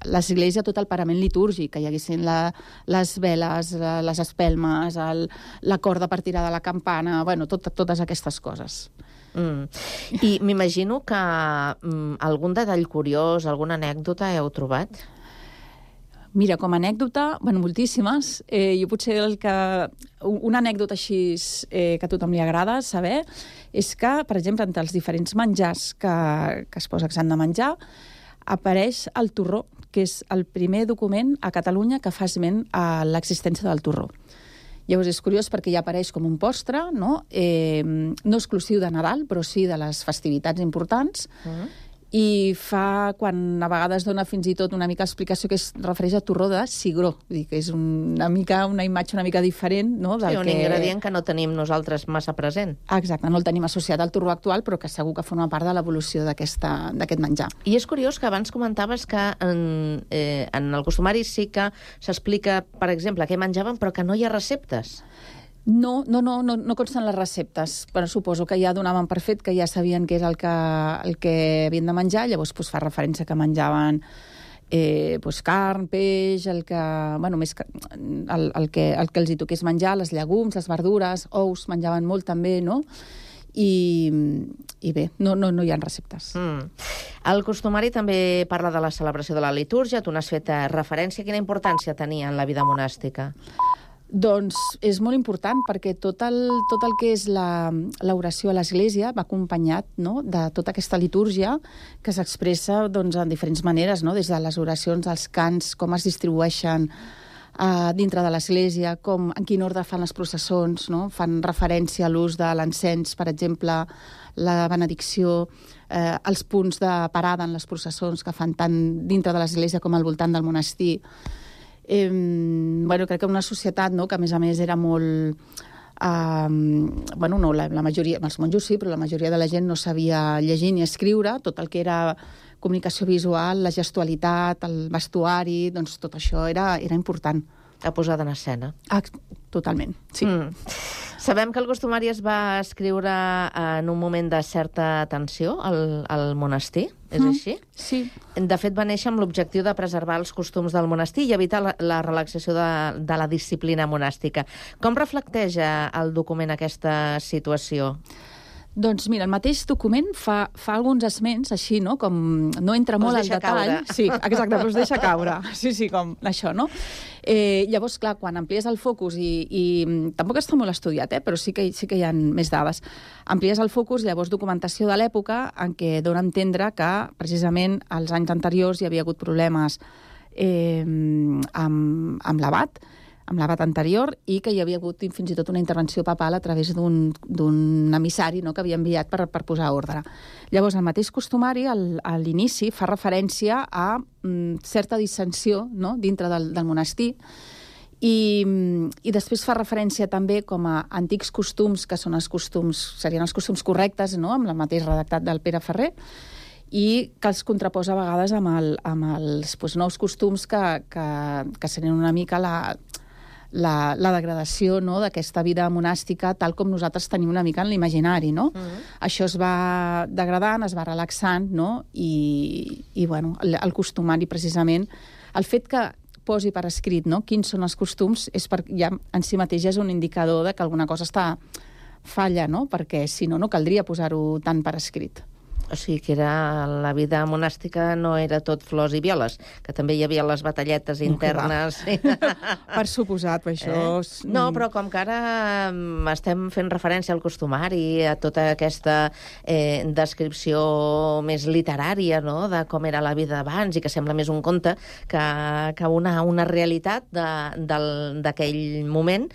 l'església, tot el parament litúrgic, que hi haguessin la, les veles, les espelmes, el, la corda per tirar de la campana, bueno, tot, totes aquestes coses. Mm. I m'imagino que mm, algun detall curiós, alguna anècdota heu trobat? Mira, com a anècdota, bueno, moltíssimes. Eh, jo potser el que... Una anècdota així eh, que a tothom li agrada saber és que, per exemple, entre els diferents menjars que, que es posa que s'han de menjar, apareix el torró, que és el primer document a Catalunya que fa esment a l'existència del torró. Llavors és curiós perquè ja apareix com un postre, no, eh, no exclusiu de Nadal, però sí de les festivitats importants, mm. i fa, quan a vegades dona fins i tot una mica explicació que es refereix a torró de cigró, vull dir que és una mica una imatge una mica diferent, no, del sí, un que... ingredient que no tenim nosaltres massa present. Exacte, no el tenim associat al torró actual, però que segur que forma part de l'evolució d'aquest menjar. I és curiós que abans comentaves que en, eh, en el costumari sí que s'explica, per exemple, què menjaven, però que no hi ha receptes. No, no, no, no, no consten les receptes, però suposo que ja donaven per fet que ja sabien què és el que, el que havien de menjar, llavors pues, fa referència que menjaven eh, pues, carn, peix, el que, bueno, més que, el, el, que, el que els hi toqués menjar, les llegums, les verdures, ous, menjaven molt també, no? i, i bé, no, no, no hi ha receptes. Mm. El costumari també parla de la celebració de la litúrgia. Tu n'has fet referència. Quina importància tenia en la vida monàstica? Doncs és molt important perquè tot el, tot el que és l'oració a l'Església va acompanyat, no?, de tota aquesta litúrgia que s'expressa doncs, en diferents maneres, no?, des de les oracions, els cants, com es distribueixen uh, dintre de l'Església, com, en quin ordre fan les processons, no? Fan referència a l'ús de l'encens, per exemple, la benedicció, eh, els punts de parada en les processons que fan tant dintre de l'Església com al voltant del monestir. Eh, bueno, crec que una societat, no?, que a més a més era molt... Eh, bueno, no, la, la majoria, els monjos sí, però la majoria de la gent no sabia llegir ni escriure, tot el que era comunicació visual, la gestualitat, el vestuari, doncs tot això era, era important. La posada en escena. Ah, totalment, sí. Mm. Sabem que el costumari es va escriure en un moment de certa tensió al, al monestir, és mm. així? Sí. De fet, va néixer amb l'objectiu de preservar els costums del monestir i evitar la, la relaxació de, de la disciplina monàstica. Com reflecteix el document aquesta situació? Doncs mira, el mateix document fa, fa alguns esments, així, no?, com no entra molt al detall. Caure. Sí, exacte, però es deixa caure. Sí, sí, com això, no? Eh, llavors, clar, quan amplies el focus, i, i tampoc està molt estudiat, eh, però sí que, sí que hi ha més dades, amplies el focus, llavors documentació de l'època en què dona a entendre que, precisament, als anys anteriors hi havia hagut problemes eh, amb, amb l'abat, amb l'abat anterior, i que hi havia hagut fins i tot una intervenció papal a través d'un emissari, no?, que havia enviat per, per posar ordre. Llavors, el mateix costumari, al, a l'inici, fa referència a mm, certa dissensió, no?, dintre del, del monestir, i, i després fa referència també com a antics costums, que són els costums, serien els costums correctes, no?, amb el mateix redactat del Pere Ferrer, i que els contraposa a vegades amb, el, amb els doncs, nous costums que, que, que serien una mica la... La, la degradació, no?, d'aquesta vida monàstica tal com nosaltres tenim una mica en l'imaginari, no? Uh-huh. Això es va degradant, es va relaxant, no? I, i bueno, el, el costumari, precisament, el fet que posi per escrit, no?, quins són els costums, és per, ja en si mateix és un indicador de que alguna cosa està falla, no?, perquè si no, no caldria posar-ho tant per escrit. O sigui que era, la vida monàstica no era tot flors i violes, que també hi havia les batalletes internes. Per suposat, per això... Eh? No, però com que ara estem fent referència al costumari, a tota aquesta eh, descripció més literària, no?, de com era la vida abans, i que sembla més un conte que, que una, una realitat d'aquell moment,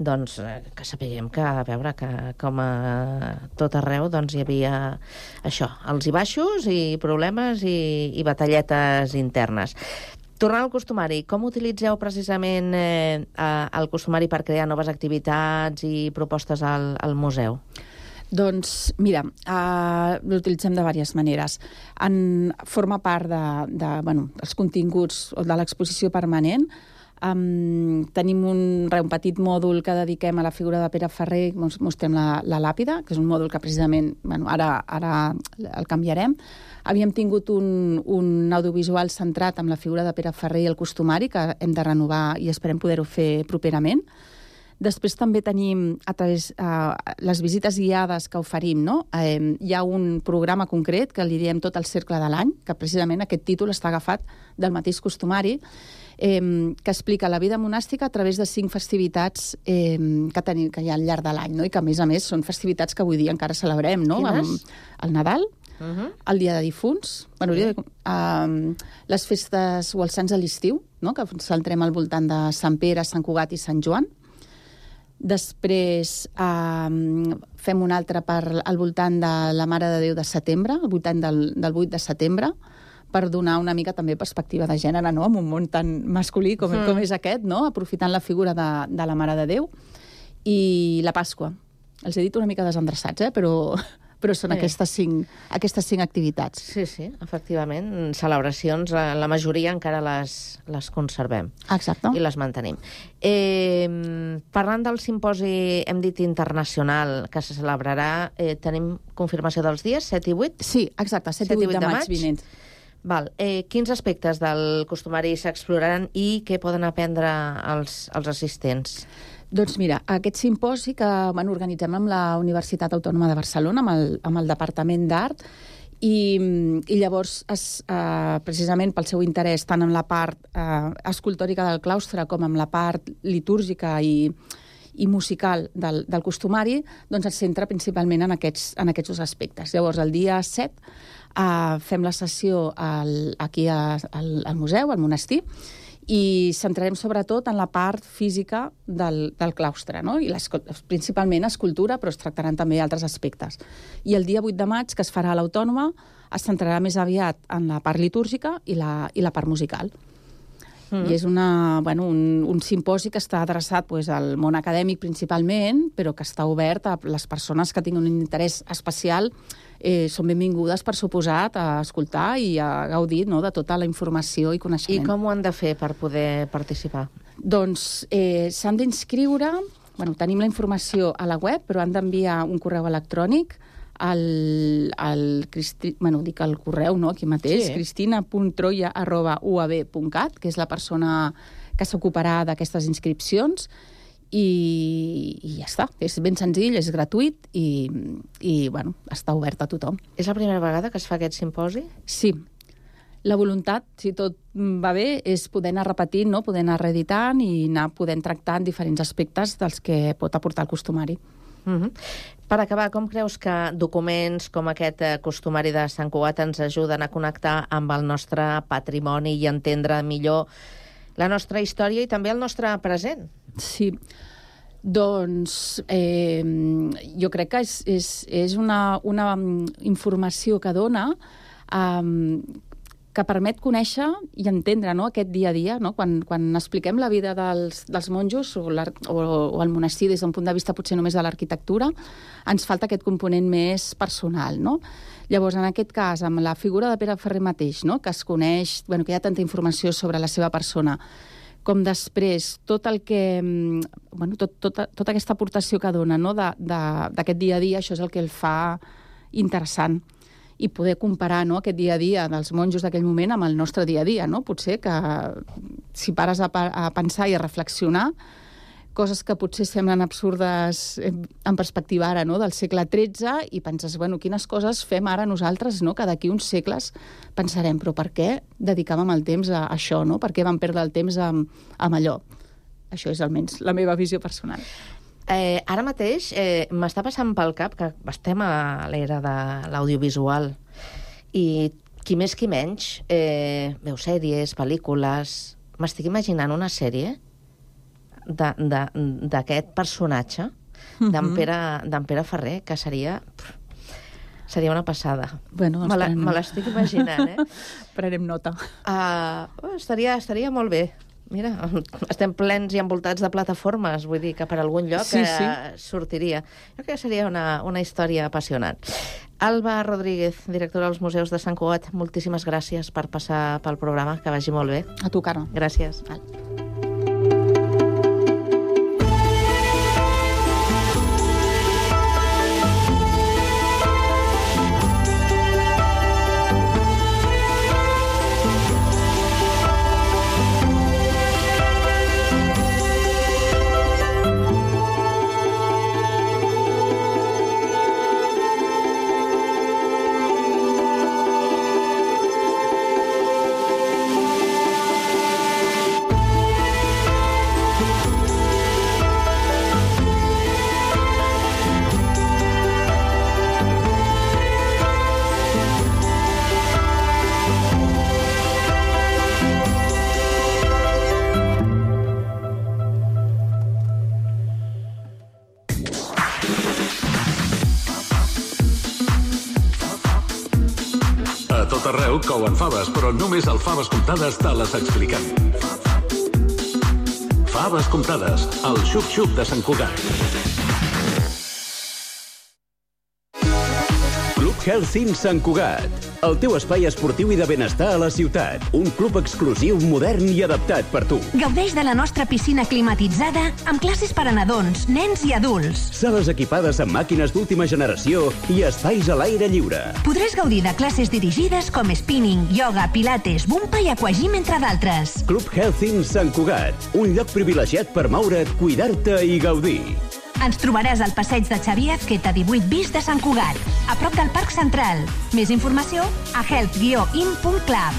doncs que sapiguem que, a veure, que com a tot arreu doncs hi havia això, alts i baixos i problemes i, i batalletes internes. Tornant al costumari, com utilitzeu precisament eh, el costumari per crear noves activitats i propostes al, al museu? Doncs, mira, uh, l'utilitzem de diverses maneres. En, forma part de, de, bueno, dels continguts de l'exposició permanent. Um, tenim un, un petit mòdul que dediquem a la figura de Pere Ferrer, mostrem la, la làpida, que és un mòdul que precisament, bueno, ara, ara el canviarem. Havíem tingut un, un audiovisual centrat amb la figura de Pere Ferrer i el costumari, que hem de renovar i esperem poder-ho fer properament. Després també tenim, a través eh, les visites guiades que oferim, no? Eh, hi ha un programa concret que li diem tot el cercle de l'any, que precisament aquest títol està agafat del mateix costumari, eh, que explica la vida monàstica a través de cinc festivitats eh, que, tenim, que hi ha al llarg de l'any, no? I que, a més a més, són festivitats que avui dia encara celebrem, no? Quines? Amb el Nadal, uh-huh. el Dia de Difunts, bueno, sí. eh, les festes o els Sants a l'estiu, no? Que centrem al voltant de Sant Pere, Sant Cugat i Sant Joan. Després eh, fem un altre per, al voltant de la Mare de Déu de setembre, al voltant del, del vuit de setembre, per donar una mica també perspectiva de gènere, no?, en un món tan masculí com, mm. com és aquest, no?, aprofitant la figura de, de la Mare de Déu. I la Pasqua. Els he dit una mica desendreçats, eh?, però... però són sí. aquestes, cinc, aquestes cinc activitats. Sí, sí, efectivament. Celebracions, la, la majoria encara les, les conservem. Exacte. I les mantenim. Eh, parlant del simposi, hem dit internacional, que se celebrarà, eh, tenim confirmació dels dies, set i vuit? Sí, exacte, set i vuit de maig vinent. Val. Eh, quins aspectes del costumari s'exploraran i què poden aprendre els, els assistents? Doncs mira, aquest simposi que bueno, organitzem amb la Universitat Autònoma de Barcelona, amb el, amb el Departament d'Art, i, i llavors, es, eh, precisament pel seu interès tant en la part eh, escultòrica del claustre com en la part litúrgica i, i musical del, del costumari, doncs es centra principalment en aquests, en aquests dos aspectes. Llavors, el dia set eh, fem la sessió al, aquí a, al, al museu, al monestir, i centrarem sobretot en la part física del, del claustre, no? I les, principalment escultura, però es tractaran també altres aspectes. I el dia vuit de maig, que es farà a l'Autònoma, es centrarà més aviat en la part litúrgica i la, i la part musical. Mm. I és una, bueno, un, un simposi que està adreçat pues, al món acadèmic principalment, però que està obert a les persones que tinguin un interès especial. Eh, són benvingudes, per suposat, a escoltar i a gaudir, no?, de tota la informació i coneixement. I com ho han de fer per poder participar? Doncs eh, s'han d'inscriure, bueno, tenim la informació a la web, però han d'enviar un correu electrònic al, al Cristi, bueno, dic el correu, no?, aquí mateix, sí. cristina punt troia arroba u a b punt cat, que és la persona que s'ocuparà d'aquestes inscripcions, I, i ja està. És ben senzill, és gratuït i, i bueno, està obert a tothom. És la primera vegada que es fa aquest simposi? Sí. La voluntat, si tot va bé, és poder anar repetint, no? Poder anar reeditant i anar podent tractar en diferents aspectes dels que pot aportar el costumari. Uh-huh. Per acabar, com creus que documents com aquest costumari de Sant Cugat ens ajuden a connectar amb el nostre patrimoni i entendre millor la nostra història i també el nostre present? Sí, doncs eh, jo crec que és, és, és una, una informació que dona eh, que permet conèixer i entendre, no?, aquest dia a dia, no? Quan, quan expliquem la vida dels, dels monjos o, o, o el monestir des d'un punt de vista potser només de l'arquitectura, ens falta aquest component més personal, no? Llavors, en aquest cas, amb la figura de Pere Ferrer mateix, no?, que es coneix, bueno, que hi ha tanta informació sobre la seva persona, com després tot el que, bueno, tot, tota, tota aquesta aportació que dona, no?, d'aquest dia a dia, això és el que el fa interessant. I poder comparar, no?, aquest dia a dia dels monjos d'aquell moment amb el nostre dia a dia, no? Potser que si pares a, a pensar i a reflexionar, coses que potser semblen absurdes en perspectiva ara, no?, del segle tretze, i penses, bueno, quines coses fem ara nosaltres, no?, que d'aquí uns segles pensarem, però per què dedicàvem el temps a això, no?, per què vam perdre el temps amb, amb allò? Això és almenys la meva visió personal. Eh, ara mateix eh, m'està passant pel cap que estem a l'era de l'audiovisual i qui més qui menys eh, veu sèries, pel·lícules. M'estic imaginant una sèrie d'aquest personatge, mm-hmm. d'en Pere, d'en Pere Ferrer, que seria pff, seria una passada. Bueno, doncs me, me l'estic imaginant, eh? Prenem nota. Uh, oh, estaria, estaria molt bé. Mira, estem plens i envoltats de plataformes, vull dir que per algun lloc sí, sí. Eh, sortiria. Jo crec que seria una, una història apassionant. Alba Rodríguez, directora dels Museus de Sant Cugat, moltíssimes gràcies per passar pel programa, que vagi molt bé. A tu, Carme. Gràcies. Val. Arreu couen faves, però només al Faves Comptades te les expliquem. Faves Comptades, el xup-xup de Sant Cugat. Club Health In Sant Cugat, el teu espai esportiu i de benestar a la ciutat. Un club exclusiu, modern i adaptat per tu. Gaudeix de la nostra piscina climatitzada amb classes per a nadons, nens i adults. Sales equipades amb màquines d'última generació i espais a l'aire lliure. Podràs gaudir de classes dirigides com spinning, yoga, pilates, bumpa i aquagym, entre d'altres. Club Health In Sant Cugat, un lloc privilegiat per moure't, cuidar-te i gaudir. Ens trobaràs al passeig de Xavier Azqueta divuit bis de Sant Cugat, a prop del Parc Central. Més informació a health guió in punt club.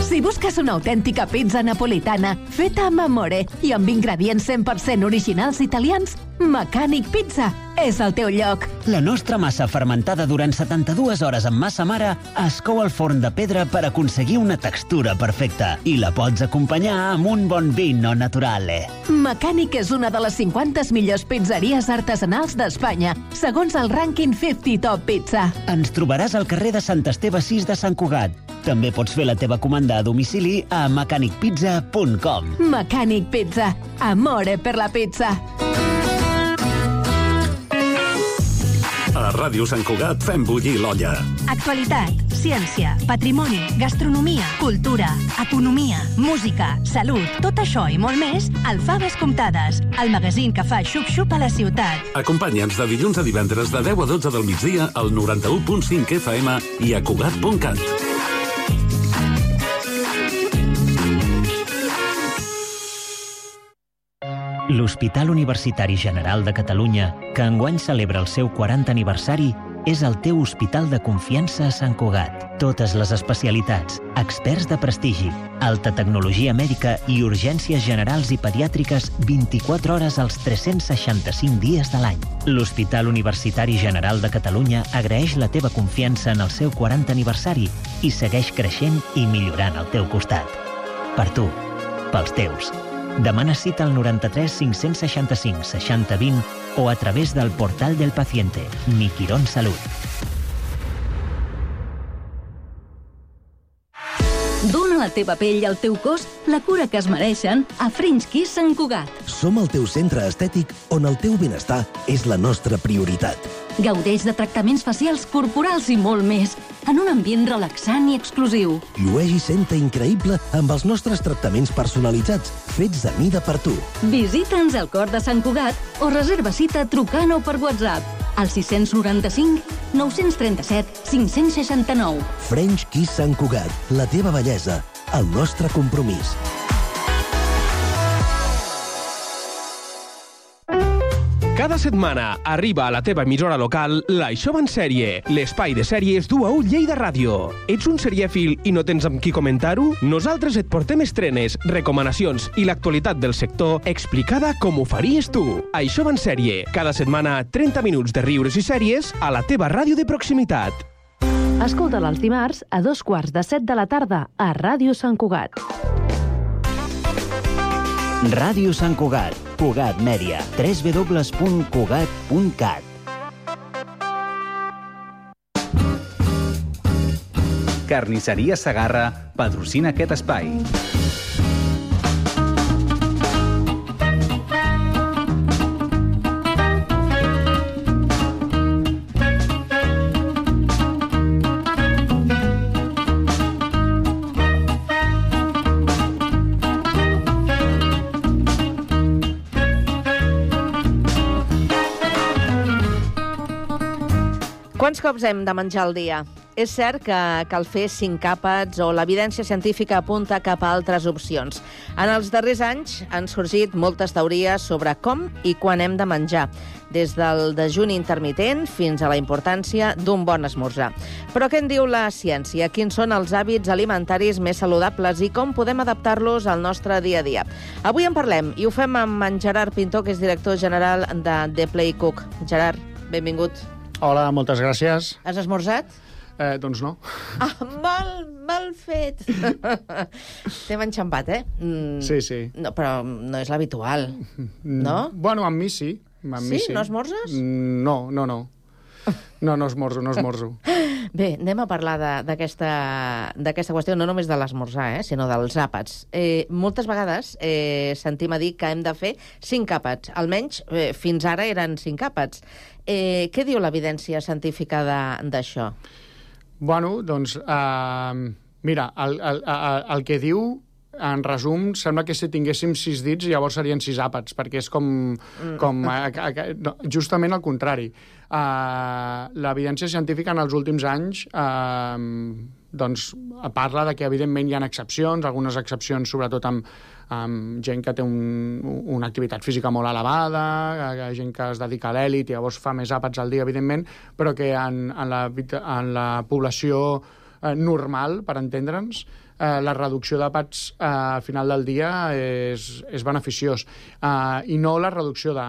Si busques una autèntica pizza napolitana feta amb amore i amb ingredients cent per cent originals italians, Mecànic Pizza és el teu lloc. La nostra massa fermentada durant setanta-dues hores amb massa mare es cou al forn de pedra per aconseguir una textura perfecta i la pots acompanyar amb un bon vino naturale. Mecànic és una de les cinquanta millors pizzeries artesanals d'Espanya, segons el rànquing cinquanta Top Pizza. Ens trobaràs al carrer de Sant Esteve sis de Sant Cugat. També pots fer la teva comanda a domicili a mecànic pizza punt com. Mecànic Pizza. Amore per la pizza. A Ràdio Sant Cugat fem bullir l'olla. Actualitat, ciència, patrimoni, gastronomia, cultura, economia, música, salut, tot això i molt més al Faves Comptades, el magazín que fa xup-xup a la ciutat. Acompanya'ns de dilluns a divendres de deu a dotze del migdia al noranta-u punt cinc F M i a Cugat punt cat. L'Hospital Universitari General de Catalunya, que enguany celebra el seu quaranta aniversari, és el teu hospital de confiança a Sant Cugat. Totes les especialitats, experts de prestigi, alta tecnologia mèdica i urgències generals i pediàtriques vint-i-quatre hores als tres-cents seixanta-cinc dies de l'any. L'Hospital Universitari General de Catalunya agraeix la teva confiança en el seu quaranta aniversari i segueix creixent i millorant al teu costat. Per tu, pels teus. Demana cita al noranta-tres cinc-cents seixanta-cinc seixanta vint o a través del portal del paciente, Mi Quirón Salut. Dóna a la teva pell i al teu cos la cura que es mereixen a French Kiss Sant Cugat. Som el teu centre estètic on el teu benestar és la nostra prioritat. Gaudeix de tractaments facials, corporals i molt més, en un ambient relaxant i exclusiu. Llueix i senta increïble amb els nostres tractaments personalitzats, fets a mida per tu. Visita'ns al cor de Sant Cugat o reserva cita trucant o per WhatsApp al sis noranta-cinc nou trenta-set cinc seixanta-nou. French Kiss Sant Cugat, la teva bellesa, el nostre compromís. Cada setmana arriba a la teva emissora local l'Això va en sèrie, l'espai de sèries d'U A U Lleida Ràdio. Ets un serièfil i no tens amb qui comentar-ho? Nosaltres et portem estrenes, recomanacions i l'actualitat del sector explicada com ho faries tu. Això va en sèrie, cada setmana trenta minuts de riures i sèries a la teva ràdio de proximitat. Escolta'l els dimarts a dos quarts de set de la tarda a Ràdio Sant Cugat. Ràdio Sant Cugat, Cugat Mèdia, w w w punt cugat punt cat. Carnisseria Segarra patrocina aquest espai. Quants cops hem de menjar al dia? És cert que cal fer cinc àpats o l'evidència científica apunta cap a altres opcions. En els darrers anys han sorgit moltes teories sobre com i quan hem de menjar, des del dejuni intermitent fins a la importància d'un bon esmorzar. Però què en diu la ciència? Quins són els hàbits alimentaris més saludables i com podem adaptar-los al nostre dia a dia? Avui en parlem i ho fem amb en Gerard Pintor, que és director general de The Play Cook. Gerard, benvingut. Hola, moltes gràcies. Has esmorzat? Eh, doncs no. Ah, mal, mal fet. T'hem enxampat, eh? Mm, sí, sí. No, però no és l'habitual, no? Bueno, amb mi sí. Amb sí? Mi sí? No esmorzes? No, no, no. No, no esmorzo, no esmorzo. Bé, anem a parlar d'aquesta qüestió, no només de l'esmorzar, eh, sinó dels àpats. Eh, moltes vegades eh, sentim a dir que hem de fer cinc àpats. Almenys eh, fins ara eren cinc àpats. Eh, què diu l'evidència científica d'això? Bueno, doncs, eh, mira, el, el, el, el que diu, en resum, sembla que si tinguéssim sis dits llavors serien sis àpats, perquè és com, com a, a, a, no, justament al contrari. Uh, l'evidència científica en els últims anys uh, doncs, parla de que evidentment hi ha excepcions, algunes excepcions sobretot amb, amb gent que té un, una activitat física molt elevada, gent que es dedica a l'èlit i llavors fa més àpats al dia, evidentment, però que en, en, la, en la població uh, normal, per entendre'ns, Uh, la reducció d'àpats uh, al final del dia és, és beneficiós. Uh, I no la reducció de,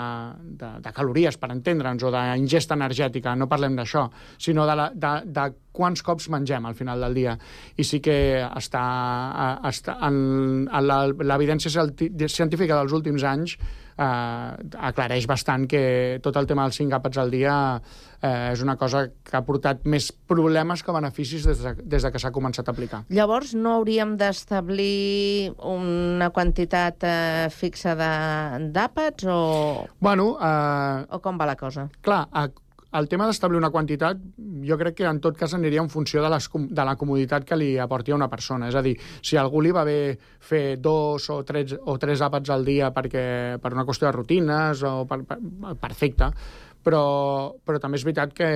de, de calories, per entendre'ns, o d'ingesta energètica, no parlem d'això, sinó de, la, de, de quants cops mengem al final del dia. I sí que està, està en, en l'evidència científica dels últims anys eh, aclareix bastant que tot el tema dels cinc àpats al dia eh, és una cosa que ha portat més problemes que beneficis des de, des de que s'ha començat a aplicar. Llavors, no hauríem d'establir una quantitat eh, fixa d'àpats o... Bueno, eh... o com va la cosa? Clar, a el tema d'establir una quantitat, jo crec que en tot cas aniria en funció de, les, de la comoditat que li aporti a una persona. És a dir, si a algú li va bé fer dos o tres, o tres àpats al dia perquè, per una qüestió de rutines, o per, per, perfecte, però, però també és veritat que,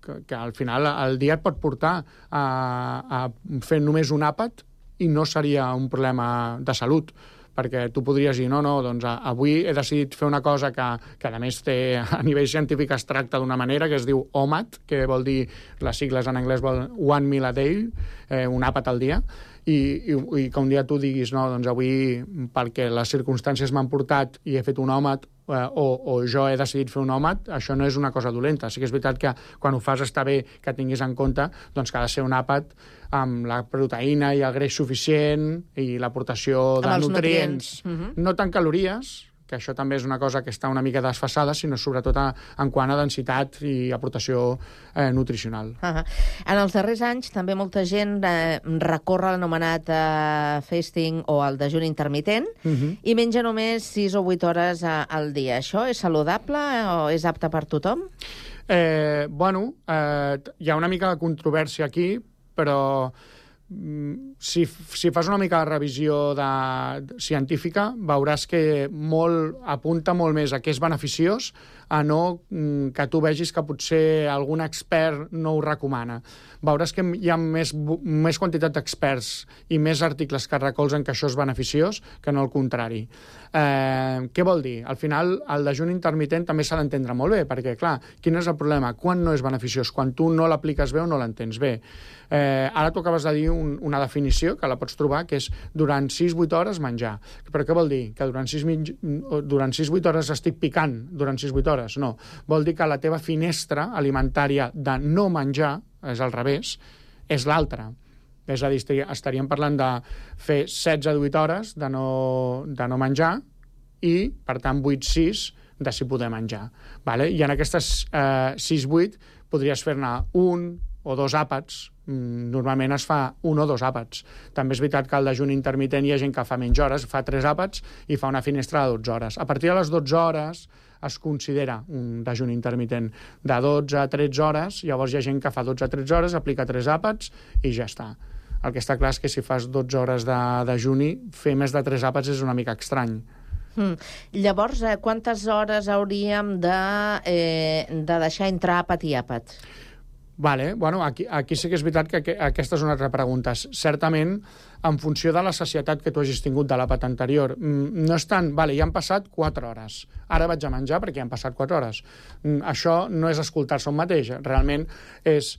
que, que al final el dia et pot portar a, a fer només un àpat i no seria un problema de salut, perquè tu podries dir, no, no, doncs avui he decidit fer una cosa que, que a més té, a nivell científic es tracta d'una manera que es diu O M A D, que vol dir, les sigles en anglès vol One Meal a Day, eh, un àpat al dia, i, i, i que un dia tu diguis, no, doncs avui, perquè les circumstàncies m'han portat i he fet un O M A D, eh, o, o jo he decidit fer un O M A D, això no és una cosa dolenta. Sí que és veritat que quan ho fas està bé que tinguis en compte doncs, que ha de ser un àpat amb la proteïna i el greix suficient i l'aportació de nutrients, nutrients. Uh-huh. No tant calories, que això també és una cosa que està una mica desfasada, sinó sobretot a, en quant a densitat i aportació eh, nutricional. Uh-huh. En els darrers anys també molta gent eh, recorre l'anomenat eh, fasting o el dejuni intermitent uh-huh. i menja només sis o vuit hores a, al dia. Això és saludable o és apte per tothom? Eh, bueno, eh, hi ha una mica de controvèrsia aquí, però si, si fas una mica de revisió de, científica, veuràs que molt, apunta molt més a que és beneficiós a no que tu vegis que potser algun expert no ho recomana. Veuràs que hi ha més, més quantitat d'experts i més articles que recolzen que això és beneficiós que no el contrari. Eh, què vol dir? Al final, el dejuni intermitent també s'ha d'entendre molt bé, perquè, clar, quin és el problema? Quan no és beneficiós? Quan tu no l'apliques bé o no l'entens bé? Eh, ara tu acabes de dir un, una definició, que la pots trobar, que és durant sis vuit hores menjar. Però què vol dir? Que durant sis vuit hores estic picant durant sis vuit hores? No. Vol dir que la teva finestra alimentària de no menjar, és al revés, és l'altra. És a dir, estaríem parlant de fer setze a divuit hores de no, de no menjar i, per tant, vuit sis de si poder menjar. Vale? I en aquestes eh, sis vuit podries fer-ne un o dos àpats. Normalment es fa un o dos àpats. També és veritat que al dejuni intermitent hi ha gent que fa menys hores, fa tres àpats i fa una finestra de dotze hores. A partir de les dotze hores es considera un dejuni intermitent de dotze a tretze hores, llavors hi ha gent que fa dotze a tretze hores, aplica tres àpats i ja està. El que està clar és que si fas dotze hores de dejuni, fer més de tres àpats és una mica estrany. Mm. Llavors, eh, quantes hores hauríem de, eh, de deixar entre àpat i àpat? Vale, bueno, aquí, aquí sí que és veritat que aquesta és una altra pregunta. Certament, en funció de la sacietat que tu hagis tingut de l'àpat anterior, no és tant, vale, ja han passat quatre hores, ara vaig a menjar perquè ja han passat quatre hores. Això no és escoltar-se un mateix, realment és,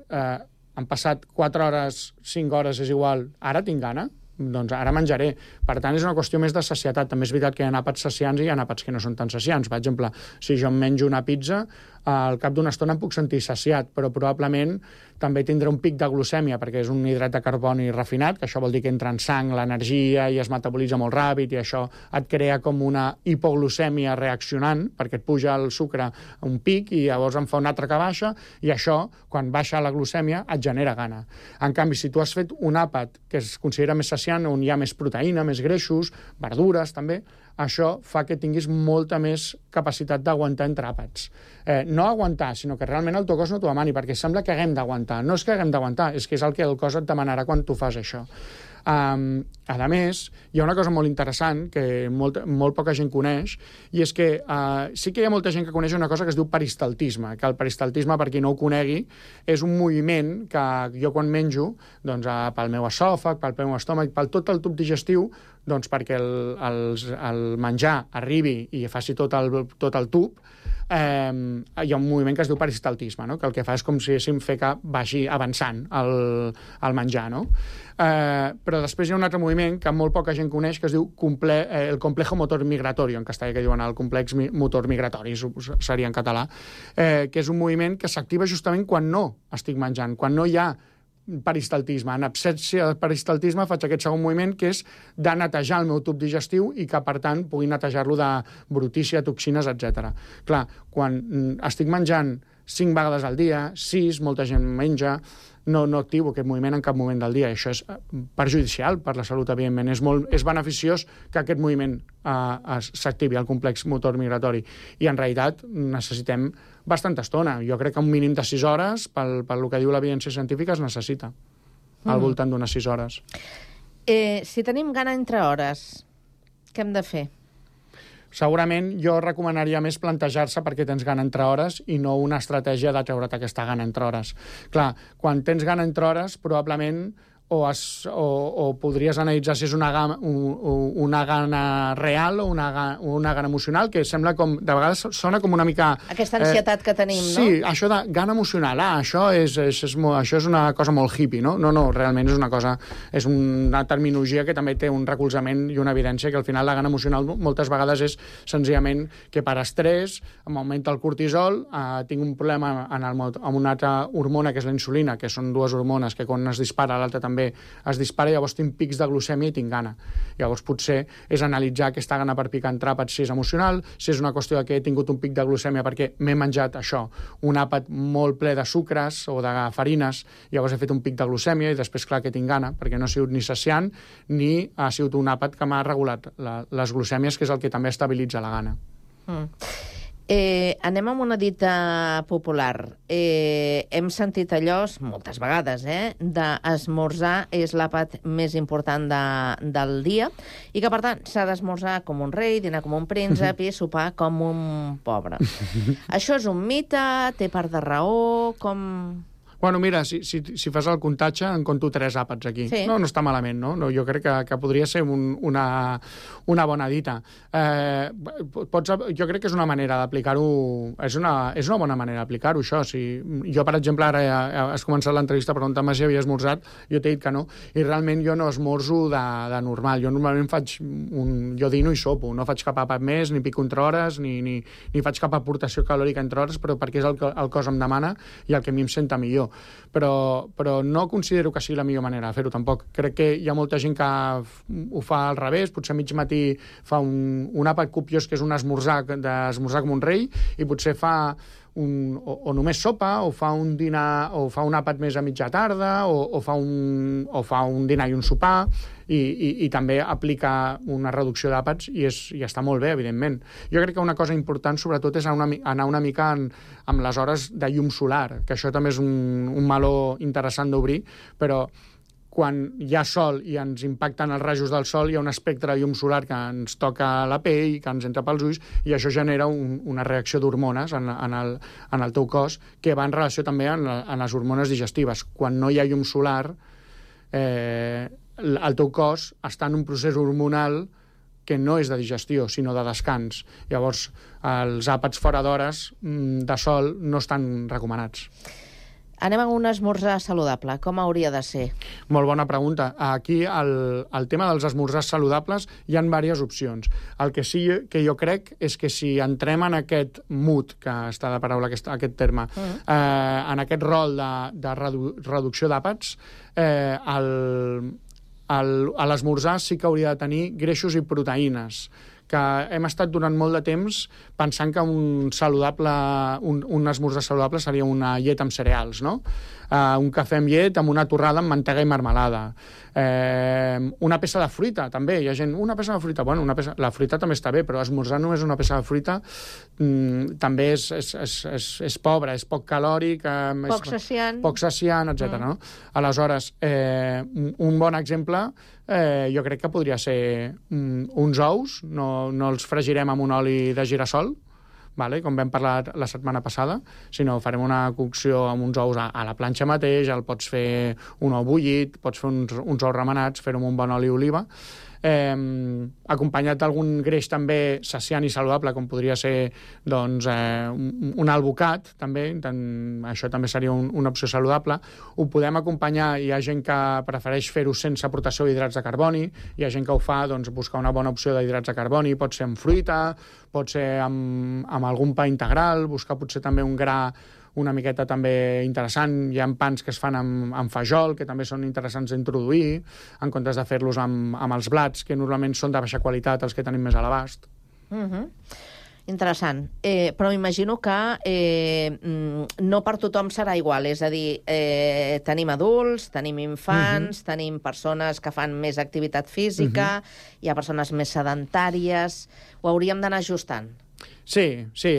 eh, han passat quatre hores, cinc hores, és igual, ara tinc gana, doncs ara menjaré. Per tant, és una qüestió més de sacietat. També és veritat que hi ha àpats saciants i hi ha àpats que no són tan saciants. Per exemple, si jo em menjo una pizza, al cap d'una estona em puc sentir saciat, però probablement també tindré un pic de glucèmia, perquè és un hidrat de carboni refinat, que això vol dir que entra en sang l'energia i es metabolitza molt ràpid, i això et crea com una hipoglucèmia reaccionant, perquè et puja el sucre a un pic i llavors en fa un altre que baixa, i això, quan baixa la glucèmia, et genera gana. En canvi, si tu has fet un àpat que es considera més saciant, on hi ha més proteïna, més greixos, verdures també, això fa que tinguis molta més capacitat d'aguantar entre àpats. Eh, no aguantar, sinó que realment el teu cos no t'ho demani, perquè sembla que haguem d'aguantar. No és que haguem d'aguantar, és que és el que el cos et demanarà quan tu fas això. Um, a més, hi ha una cosa molt interessant que molt, molt poca gent coneix, i és que uh, sí que hi ha molta gent que coneix una cosa que es diu peristaltisme, que el peristaltisme, per qui no ho conegui, és un moviment que jo quan menjo, doncs, uh, pel meu esòfag, pel meu estómac, pel tot el tub digestiu, doncs perquè el, el, el menjar arribi i faci tot el, tot el tub, eh, hi ha un moviment que es diu peristaltisme, no? Que el que fa és com si haguéssim fer que vagi avançant el, el menjar, no? Eh, però després hi ha un altre moviment que molt poca gent coneix, que es diu comple, eh, el complejo motor migratori, en castellà que diuen el complex mi, motor migratori, seria en català, eh, que és un moviment que s'activa justament quan no estic menjant, quan no hi ha peristaltisme. En absència de peristaltisme faig aquest segon moviment, que és de netejar el meu tub digestiu i que, per tant, pugui netejar-lo de brutícia, toxines, etcètera. Clar, quan estic menjant cinc vegades al dia, sis, molta gent menja, no, no activo aquest moviment en cap moment del dia. Això és perjudicial per la salut, evidentment. És, molt, és beneficiós que aquest moviment eh, s'activi, el complex motor migratori. I, en realitat, necessitem bastanta estona. Jo crec que un mínim de sis hores, pel, pel que diu l'evidència científica, es necessita, mm. al voltant d'unes sis hores. Eh, si tenim gana entre hores, què hem de fer? Segurament jo recomanaria més plantejar-se perquè tens gana entre hores i no una estratègia de treure't aquesta gana entre hores. Clar, quan tens gana entre hores, probablement o, es, o, o podries analitzar si és una gana, una gana real o una, una gana emocional, que sembla com, de vegades sona com una mica... Aquesta ansietat eh, que tenim, no? Sí, això de gana emocional, ah, això és, és, és, això és una cosa molt hippie, no? No, no, realment és una cosa, és una terminologia que també té un recolzament i una evidència, que al final la gana emocional moltes vegades és senzillament que per estrès m'augmenta el cortisol, eh, tinc un problema en el, amb una altra hormona que és la insulina, que són dues hormones que quan es dispara l'altra també es dispara, i llavors tinc pics de glucèmia i tinc gana. Llavors potser és analitzar aquesta gana per picar en àpat, si és emocional, si és una qüestió de que he tingut un pic de glucèmia perquè m'he menjat això, un àpat molt ple de sucres o de farines, llavors he fet un pic de glucèmia i després clar que tinc gana, perquè no ha sigut ni saciant ni ha sigut un àpat que m'ha regulat la, les glucèmies, que és el que també estabilitza la gana. Mm. Eh, anem amb una dita popular. Eh, hem sentit allò, moltes vegades, eh, d'esmorzar és l'àpat més important de, del dia i que, per tant, s'ha d'esmorzar com un rei, dinar com un príncep i sopar com un pobre. Això és un mite? Té part de raó? Com... Bueno, mira, si, si, si fas el comptatge, en compto tres àpats aquí. Sí. No, no està malament, no? no jo crec que, que podria ser un, una, una bona dita. Eh, pots, jo crec que és una manera d'aplicar-ho, és una, és una bona manera d'aplicar-ho, això. Si, jo, per exemple, ara has començat l'entrevista preguntant-me si havia esmorzat, jo t'he dit que no, i realment jo no esmorzo de, de normal. Jo normalment faig un... Jo dino i sopo, no faig cap àpat més, ni pico entre hores, ni, ni, ni faig cap aportació calòrica entre hores, però perquè és el que el cos em demana i el que a mi em senta millor. Però, però no considero que sigui la millor manera de fer-ho tampoc. Crec que hi ha molta gent que ho fa al revés, potser a mig matí fa un, un àpat copiós que és un esmorzar, d'esmorzar com un rei, i potser fa un, o, o només sopa, o fa un dinar, o fa un àpat més a mitja tarda, o, o, fa, un, o fa un dinar i un sopar, i, i, i també aplica una reducció d'àpats i, és, i està molt bé, evidentment. Jo crec que una cosa important, sobretot, és anar una, anar una mica en, amb les hores de llum solar, que això també és un, un meló interessant d'obrir, però quan hi ha sol i ens impacten els rajos del sol, hi ha un espectre de llum solar que ens toca la pell, que ens entra pels ulls, i això genera un, una reacció d'hormones en, en, el, en el teu cos, que va en relació també en, en les hormones digestives. Quan no hi ha llum solar, eh, el teu cos està en un procés hormonal que no és de digestió, sinó de descans. Llavors, els àpats fora d'hores de sol no estan recomanats. Anem a un esmorzar saludable. Com hauria de ser? Molt bona pregunta. Aquí, el, el tema dels esmorzars saludables, hi ha diverses opcions. El que sí que jo crec és que si entrem en aquest mood, que està de paraula aquest, aquest terme, uh-huh. eh, en aquest rol de, de redu, reducció d'àpats, eh, el, el, a l'esmorzar sí que hauria de tenir greixos i proteïnes, que hem estat durant molt de temps pensant que un saludable, un, un esmorzar saludable seria una llet amb cereals, no? Uh, un cafè amb llet amb una torrada amb mantega i marmelada. Eh, una peça de fruita, també. Hi ha gent, una peça de fruita, bueno, una peça, la fruita també està bé, però esmorzar només una peça de fruita mm, també és, és, és, és, és pobre, és poc calòric, eh, poc saciant, poc saciant, etcètera. Mm. No? Aleshores, eh, un bon exemple eh, jo crec que podria ser mm, uns ous, no, no els fregirem amb un oli de girassol, vale? Com vam parlar la setmana passada, sinó farem una cocció amb uns ous a, a la planxa mateix, el pots fer un ou bullit, pots fer uns, uns ous remenats, fer-ho amb un bon oli d'oliva, eh, acompanyat d'algun greix també saciant i saludable, com podria ser doncs, eh, un, un albocat, també, tant, això també seria un, una opció saludable. Ho podem acompanyar, hi ha gent que prefereix fer-ho sense aportació d'hidrats de carboni, hi ha gent que ho fa, doncs, buscar una bona opció d'hidrats de carboni, pot ser amb fruita, pot ser amb, amb algun pa integral, buscar potser també un gra una miqueta també interessant. Hi ha pans que es fan amb, amb fajol, que també són interessants d'introduir, en comptes de fer-los amb, amb els blats, que normalment són de baixa qualitat, els que tenim més a l'abast. Uh-huh. Interessant. Eh, però m'imagino que eh, no per tothom serà igual. És a dir, eh, tenim adults, tenim infants, uh-huh. tenim persones que fan més activitat física, uh-huh. hi ha persones més sedentàries. Ho hauríem d'anar ajustant. Sí, sí,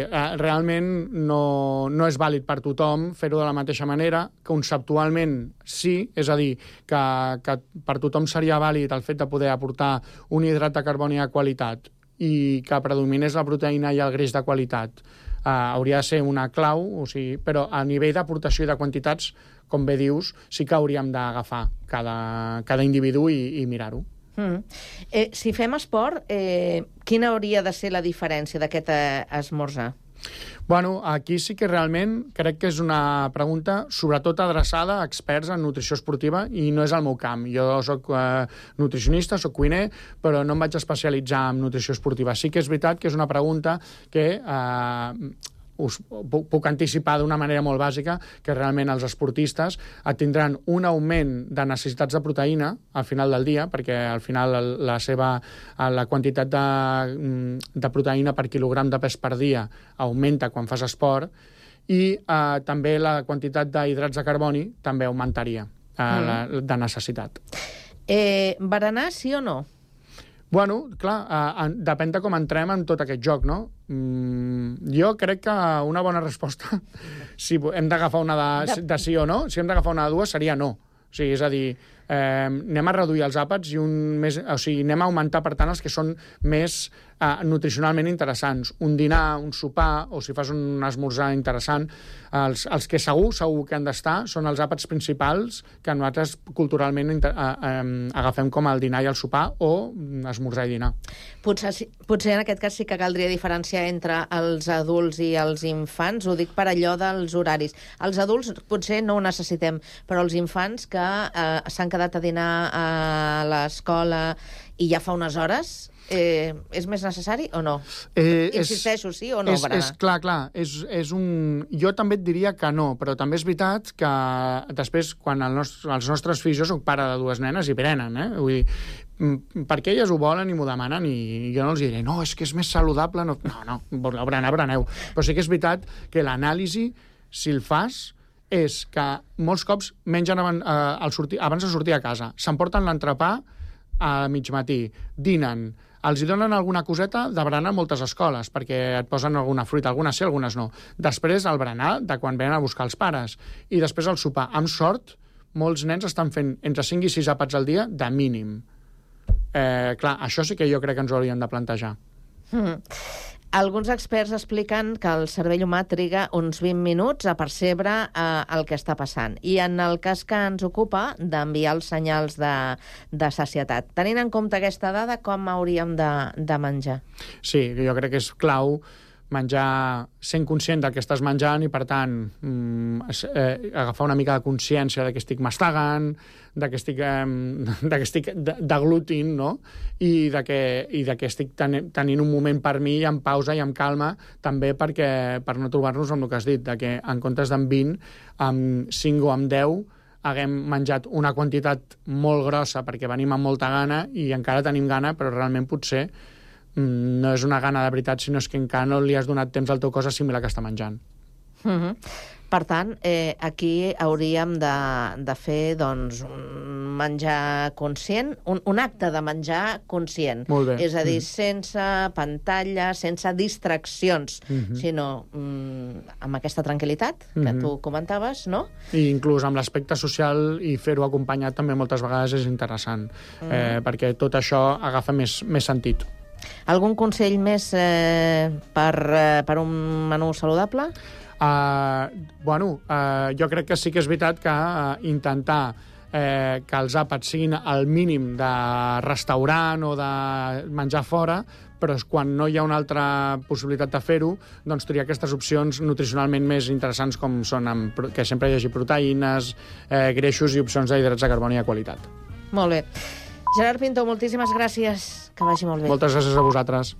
realment no, no és vàlid per tothom fer-ho de la mateixa manera. Conceptualment sí, és a dir, que, que per tothom seria vàlid el fet de poder aportar un hidrat de carboni de qualitat i que predominés la proteïna i el greix de qualitat. Uh, hauria de ser una clau, o sigui, però a nivell d'aportació i de quantitats, com bé dius, sí que hauríem d'agafar cada, cada individu i, i mirar-ho. Mm. Eh, si fem esport, eh, quina hauria de ser la diferència d'aquest eh, esmorzar? Bueno, aquí sí que realment crec que és una pregunta sobretot adreçada a experts en nutrició esportiva i no és el meu camp. Jo soc eh, nutricionista, soc cuiner, però no em vaig especialitzar en nutrició esportiva. Sí que és veritat que és una pregunta que eh, us puc anticipar d'una manera molt bàsica que realment els esportistes tindran un augment de necessitats de proteïna al final del dia, perquè al final la seva la quantitat de, de proteïna per quilogram de pes per dia augmenta quan fas esport i eh, també la quantitat d'hidrats de carboni també augmentaria eh, mm. la, de necessitat. Eh, berenar sí o no? Bueno, clar, eh, depèn de com entrem en tot aquest joc, no? Mm, jo crec que una bona resposta, si hem d'agafar una de, de sí o no, si hem d'agafar una de dues, seria no. O sigui, és a dir, eh, anem a reduir els àpats i un més, o sigui, anem a augmentar, per tant, els que són més eh, nutricionalment interessants. Un dinar, un sopar, o si fas un esmorzar interessant, els, els que segur, segur que han d'estar són els àpats principals que nosaltres culturalment inter, eh, eh, agafem com el dinar i el sopar o esmorzar i dinar. Potser, potser en aquest cas sí que caldria diferenciar entre els adults i els infants, ho dic per allò dels horaris. Els adults potser no ho necessitem, però els infants que eh, s'han quedat a dinar a l'escola i ja fa unes hores, eh, és més necessari o no? Eh, Insisteixo, sí o no? És, és, clar, clar, és, és un... Jo també et diria que no, però també és veritat que després, quan el nostre, els nostres fills, jo soc pare de dues nenes i prenen, eh? Vull dir, perquè elles ho volen i m'ho demanen i jo no els diré, no, és que és més saludable, no, no, no bereneu, bereneu. Però sí que és veritat que l'anàlisi, si el fas, és que molts cops mengen abans, eh, al sortir, abans de sortir a casa, s'emporten l'entrepà a mig matí, dinen, els hi donen alguna coseta de berenar a moltes escoles, perquè et posen alguna fruita, algunes sí, algunes no. Després el berenar, de quan venen a buscar els pares. I després el sopar. Amb sort, molts nens estan fent entre cinc i sis àpats al dia de mínim. Eh, clar, això sí que jo crec que ens ho hauríem de plantejar. Mm. Alguns experts expliquen que el cervell humà triga uns vint minuts a percebre eh, el que està passant. I en el cas que ens ocupa, d'enviar els senyals de, de sacietat. Tenint en compte aquesta dada, com hauríem de, de menjar? Sí, jo crec que és clau menjar sent conscient del que estàs menjant i, per tant, eh, agafar una mica de consciència de que estic mastegant, de que estic, eh, de que estic deglutint, no? I de que, i de que estic ten tenint un moment per mi amb pausa i amb calma, també perquè, per no trobar-nos amb el que has dit, de que en comptes d'en vint, amb cinc o amb deu, haguem menjat una quantitat molt grossa perquè venim amb molta gana i encara tenim gana, però realment potser no és una gana de veritat, sinó és que encara no li has donat temps al teu cos a assimilar que està menjant. Uh-huh. Per tant, eh, aquí hauríem de, de fer doncs, un menjar conscient, un, un acte de menjar conscient. Molt bé. És a dir, Mm. sense pantalla, sense distraccions, Mhm. sinó mm, amb aquesta tranquil·litat que Mhm. tu comentaves, no? I inclús amb l'aspecte social i fer-ho acompanyat també moltes vegades és interessant, Mm. eh, perquè tot això agafa més, més sentit. Algun consell més eh, per, eh, per un menú saludable? Uh, bueno, uh, jo crec que sí que és veritat que uh, intentar eh, que els àpats siguin al mínim de restaurant o de menjar fora, però quan no hi ha una altra possibilitat de fer-ho, doncs triar aquestes opcions nutricionalment més interessants com són amb, pro- que sempre hi hagi proteïnes, eh, greixos i opcions d'hidrats de carboni de qualitat. Molt bé. Gerard Pinto, moltíssimes gràcies. Que vagi molt bé. Moltes gràcies a vosaltres.